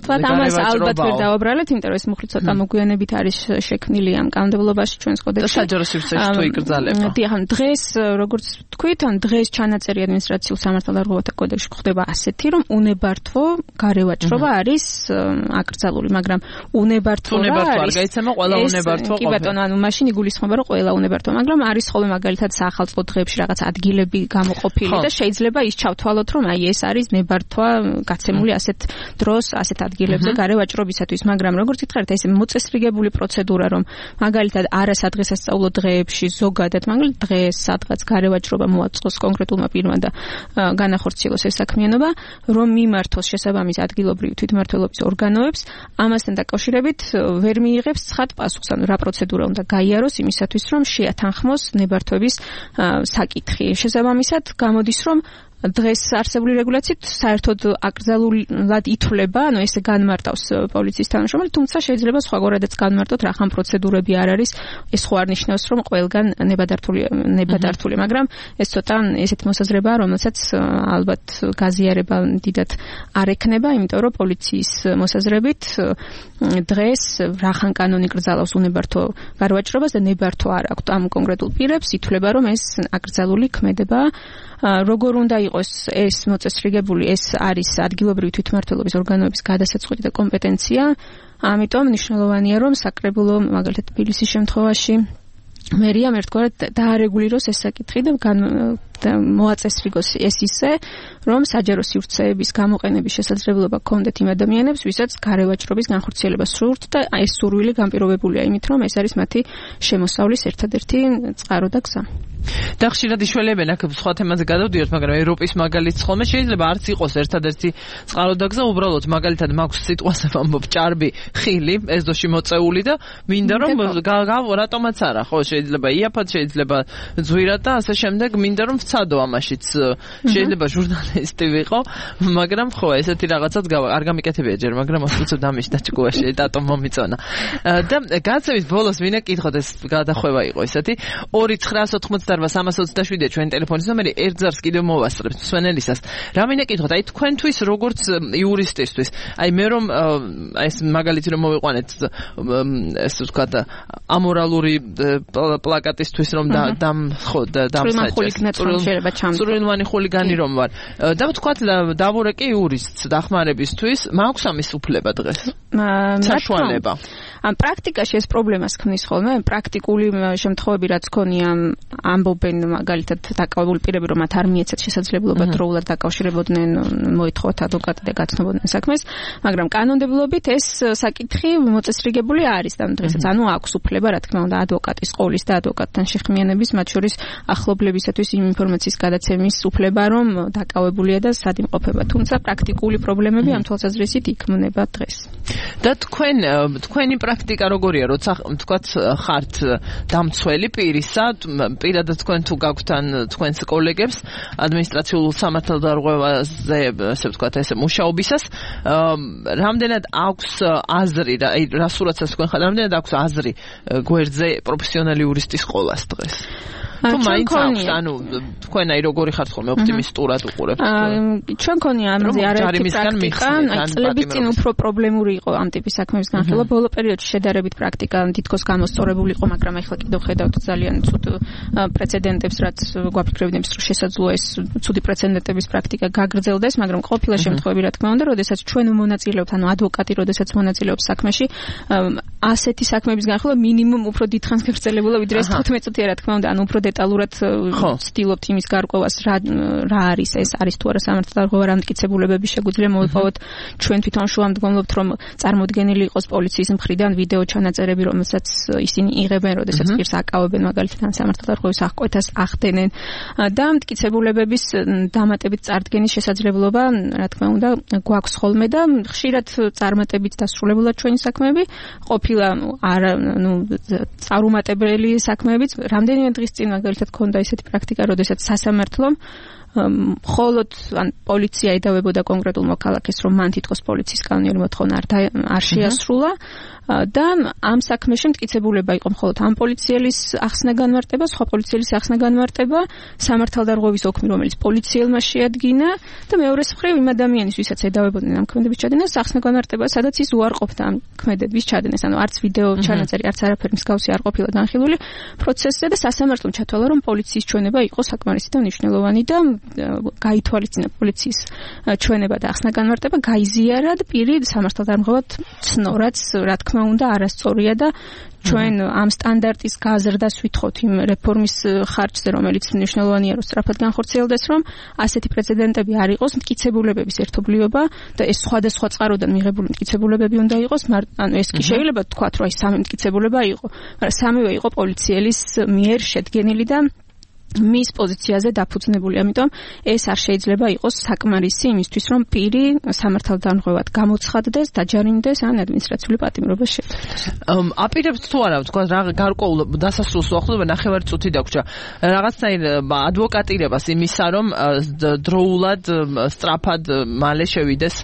თქვა ამას ალბათ ვერ დავაბრალეთ, იმიტომ რომ ეს მუხლი ცოტა მოგვიანებით არის შექმნილი ამ კანონმდებლობაში ჩვენს კოდექსში. საჯარო სივრცეში თუ იკრძალება. ან დღეს როგორც თქვით, ან დღეს ჩანაწერი ადმინისტრაციულ სამართალდარღვევათა კოდექსში ხდება ասეთი, რომ უნებართვო გარევაჭრობა არის აკრძალული, მაგრამ უნებართვო არ გაიცემა ყველა უნებართვო. კი ბატონო, ანუ მაშინ იგულისხმება, რომ ყველა უნებართვო, მაგრამ არის ხოლმე მაგალითად საახალწლო დღეებში რაღაც ადგილები გამოყოფილი და შეიძლება ის ჩავთვალოთ, რომ აი ეს არის ნებართვა გაცემული ასეთ დროს, ასეთ ადგილებზე გარევაჭრობისათვის, მაგრამ როგორც გითხარით, ეს მოწესრიგებული პროცედურა, რომ მაგალითად არასადღესასწაულო დღეებში ზოგადად მაგალითად დღეს სადღაც გარევაჭრობა მოაწყოს კონკრეტულმა პირმა და განახორციელოს ეს საქმიანობა, რომ მიმართოს შესაბამის ადგილობრივი თვითმმართველობის ორგანოებს, ამასთან დაკავშირებით ვერ მიიღებს ცხად პასუხს, ანუ რა პროცედურა უნდა გაიაროს იმისათვის, რომ შეათანხმოს ნებართვების საკითხი. შესაბამისად, გამოდის, რომ დღეს არსებული რეგულაციით საერთოდ აკრძალულად ითვლება, ანუ ესე განმარტავს პოლიციის თანამშრომელი, თუმცა შეიძლება სხვაგვარადაც განმარტოთ, რა ხან პროცედურები არ არის, ეს ხო არ ნიშნავს, რომ ყველგან ნებადართული ნებადართული, მაგრამ ეს ცოტა ესეთი მოსაზრებაა, რომელსაც ალბათ გაზიარება დიდად არ ექნება, იმიტომ რომ პოლიციის მოსაზრებით დღეს რა ხან კანონი კრძალავს უნებართვო გარევაჭრობას და ნებართვა არ აქვს ამ კონკრეტულ პირებს, ითვლება, რომ ეს აკრძალული ქმედება. როგორ უნდა იყოს ეს მოწესრიგებული, ეს არის ადგილობრივი თვითმმართველობის ორგანოების გადასაწყვეტი და კომპეტენცია. ამიტომ მნიშვნელოვანია, რომ საკრებულო მაგალითად თბილისის შემთხვევაში მერიამ ერთგვარად დაარეგულიროს ეს საკითხი და მოაწესრიგოს ეს ისე, რომ საჯარო სივრცეების გამოყენების შესაძლებლობა ჰქონდეთ იმ ადამიანებს, ვისაც გარევაჭრობის განხორციელება სურთ და ეს სურვილი განპირობებულია იმით, რომ ეს არის მათი შემოსავლის ერთადერთი წყარო და გზა. და ხშირად იშველებენ აქ სხვა თემაზე გადავდიოთ, მაგრამ ევროპის მაგალითს ხოლმე შეიძლება არც იყოს ერთადერთი წყარო და გზა, უბრალოდ მაგალითად მაქვს სიტყვას ვამბობ ჭარბი, ხილი, ეზოში მოწეული და მინდა რომ რატომაც არა, ხო, შეიძლება იაფად, შეიძლება ძვირად და ასე შემდეგ, მინდა რომ ვცადო ამაშიც. შეიძლება ჟურნალისტი ვიყო, მაგრამ ხო, ესეთი რაღაცად არ გამიკეთებია ჯერ, მაგრამ ოსტუცებ დამის დაჭკუაში დატომ მომიწონა. და გაცემის ბოლოს ვინა კითხოთ, ეს გადახვევა იყო ესეთი. ორი ცხრაას ოთხმოცდაარბა სამას ოცდაშვიდია ჩვენი ტელეფონის ნომერი, ერთ ზარს კიდევ მოვასწრებთ სვენელისას. რა მინდა კითხოთ, აი თქვენთვის როგორც იურისტისთვის, აი მე რომ ეს მაგალითი რომ მოვიყვანეთ, ეს ვთქვათ, ამორალური პლაკატისთვის რომ დამ ხო დამსაჭეს. წვრილმანი ხულიგანი რომ ვარ. და ვთქვათ, დავურეკე იურისტს დახმარებისთვის, მაქვს ამის უფლება დღეს. საშუალება. ამ პრაქტიკაში ეს პრობლემას ქმნის ხოლმე, პრაქტიკული შემთხვევები რაც ქონია, ამბობენ მაგალითად დაკავებული პირები, რომ მათ არ მიეცათ შესაძლებლობა დროულად დაკავშირებოდნენ, მოითხოვათ ადვოკატი და გაცნობოდნენ საქმეს, მაგრამ კანონმდებლობით ეს საკითხი მოწესრიგებული არის და დღესაც ანუ აქვს უფლება, რა თქმა უნდა, ადვოკატის ყოლის და ადვოკატთან შეხმიანების, მათ შორის ახლობლებისათვის იმ ინფორმაციის გადაცემის უფლება, რომ დაკავებულია და სად იმყოფება, თუმცა პრაქტიკული პრობლემები ამ თვალსაზრისით იქმნება დღეს. და თქვენ თქვენი პრაქტიკა როგორია, როცა თქვათ ხართ დამცველი პირისა, პირადად თქვენ თუ გაქვთ ან თქვენს კოლეგებს ადმინისტრაციულ სამართალდარღვევაზე, ასე ვთქვათ, ესე მუშაობისას, რამდენად აქვს აზრი, რა სურათსაც თქვენ ხართ, რამდენად აქვს აზრი გვერდზე პროფესიონალი იურისტის ყოლას დღეს? თუ მაინც აქვს, ანუ თქვენ აი როგორი ხართ ხოლმე ოპტიმისტურად უყურებთ? ჩვენ ქონია ამაზე არაერთი პრაქტიკა, აი წლების წინ უფრო პრობლემური იყო ამ ტიპის საქმეების განხილვა. ბოლო პერიოდში შედარებით პრაქტიკა თითქოს გამოსწორებული იყო, მაგრამ ახლა კიდევ ხედავთ ძალიან ცუდ პრეცედენტებს, რაც გვაფიქრებდებს, რომ შესაძლოა ეს ცუდი პრეცედენტების პრაქტიკა გაგრძელდეს, მაგრამ ყოფილა შემთხვევები, რა თქმა უნდა, როდესაც ჩვენ მონაწილეობთ, ანუ ადვოკატი როდესაც მონაწილეობს საქმეში, ასეთი საქმეების განხილვა მინიმუმ უფრო დიდხანს გაგრძელებულა, ვიდრე ეს თხუთმეტ წუთია, რა თქმა უნდა, ანუ უფრო დეტალურად ვცდილობთ იმის გარკვევას, რა რა არის ეს, არის თუ არა სამართალდარღვევა, რა მტკიცებულებები შეგვიძლია მოვიპოვოთ. ჩვენ თვითონ შუამდგომლობთ, რომ წარმოდგენილი იყოს პოლიციის მხრიდან ვიდეო ჩანაწერები, რომელსაც ისინი იღებენ, როდესაც პირს აკავებენ, მაგალითად სამართალდარღვევის აღკვეთას ახდენენ და მტკიცებულებების დამატებით წარდგენის შესაძლებლობა, რა თქმა უნდა, გვაქვს ხოლმე და ხშირად წარმატებით დასრულებულად ჩვენი საქმეები, ყოფილა არა, ნუ წარუმატებელი საქმეებიც, რამდენიმე დღის წინ მაგალითად ქონდა ესეთი პრაქტიკა, როდესაც სასამართლომ მხოლოდ ან პოლიცია ედავებოდა კონკრეტულ მოქალაქეს, რომ მან თითქოს პოლიციის კანონიერი მოთხოვნა არ შეასრულა და ამ საქმეში მტკიცებულება იყო მხოლოდ ამ პოლიციელის ახსნა განმარტება, სხვა პოლიციელის ახსნა განმარტება, სამართალდარღვევის ოქმი, რომელიც პოლიციელმა შეადგინა და მეორეს მხრივ იმ ადამიანის, ვისაც ედავებოდნენ ამ ქმედების ჩადენას, ახსნა განმარტება, სადაც ის უარყოფდა ამ ქმედების ჩადენას, ანუ არც ვიდეო ჩანაწერი, არც არაფერი მსგავსი არ ყოფილა განხილული პროცესზე და სასამართლომ ჩათვალა, რომ პოლიციის ჩვენება იყო საკმარისი და მნიშვნელოვანი და გაითვალისწინა პოლიციის ჩვენება და ახსნა განმარტება, გაიზიარა და პირი სამართალდარღვევად ცნო, რაც რა თქმა უნდა არასწორია და ჩვენ ამ სტანდარტის გაზრდას ვითხოვთ იმ რეფორმის ხარჯზე, რომელიც მნიშვნელოვანია, რომ სწრაფად განხორციელდეს, რომ ასეთი პრეცედენტები არ იყოს, მტკიცებულებების ერთობლიობა და ეს სხვადასხვა წყაროდან მიღებული მტკიცებულებები უნდა იყოს, ანუ ეს კი შეიძლება თქვათ, რომ აი სამი მტკიცებულება იყო, მაგრამ სამივე იყო პოლიციელის მიერ შედგენილი და მის პოზიციაზე დაფუძნებული, ამიტომ ეს არ შეიძლება იყოს საკმარისი იმისთვის, რომ პირი სამართალდარღვევად გამოცხადდეს, დაჯარიმდეს ან ადმინისტრაციული პატიმრობა შეეძლოს. აპირებთ თუ არა, თქვა რა გარკვეულ დასასრულს უახლოვდება, ნახევარი წუთი დაგვრჩა. რაღაცნაირ ადვოკატირებას იმისა, რომ დროულად, სწრაფად მალე შევიდეს,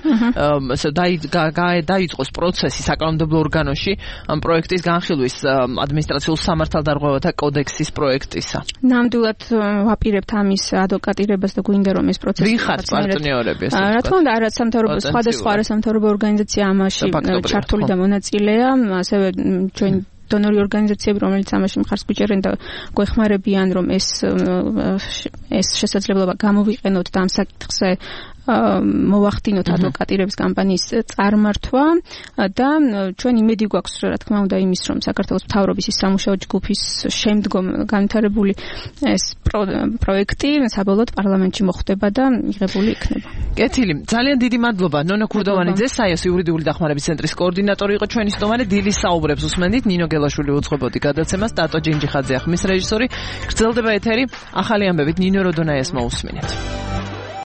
დაიწყოს პროცესი საკანონმდებლო ორგანოში ამ პროექტის განხილვის ადმინისტრაციულ სამართალდარღვევათა კოდექსის პროექტისა. ნამდვილად ვაპირებთ ამის ადვოკატირებას და გვინდა რომ ეს პროცესი ვინ ხართ პარტნიორები ესე რა თქმა უნდა არა სამთავრობო სხვადასხვა არა სამთავრობო ორგანიზაცია ამაში ჩართული და მონაწილეა ასევე ჩვენ დონორი ორგანიზაციები რომელიც ამაში მხარს გვიჭერენ და გვეხმარებიან რომ ეს ეს შესაძლებლობა გამოვიყენოთ და ამ საკითხზე მოვახდინოთ ადვოკატირების კამპანიის წარმართვა და ჩვენ იმედი გვაქვს რა თქმა უნდა იმის რომ საქართველოს მთავრობის ის სამუშაო ჯგუფის შემდგომ განვითარებული ეს პროექტი საბოლოოდ პარლამენტში მოხვდება და მიღებული იქნება. კეთილი, ძალიან დიდი მადლობა ნონა ქურდოვანიძე, საიოს იურიდიული დახმარების ცენტრის კოორდინატორი იყო ჩვენი სტუმარი. დილის საუბრებს უსმენდით, ნინო გელაშვილი უძღვებოდი გადაცემას, დატო ჯინჯიხაძე ხმის რეჟისორი. გრძელდება ეთერი ახალი ამბებით, ნინო როდონაიას მოусმინეთ.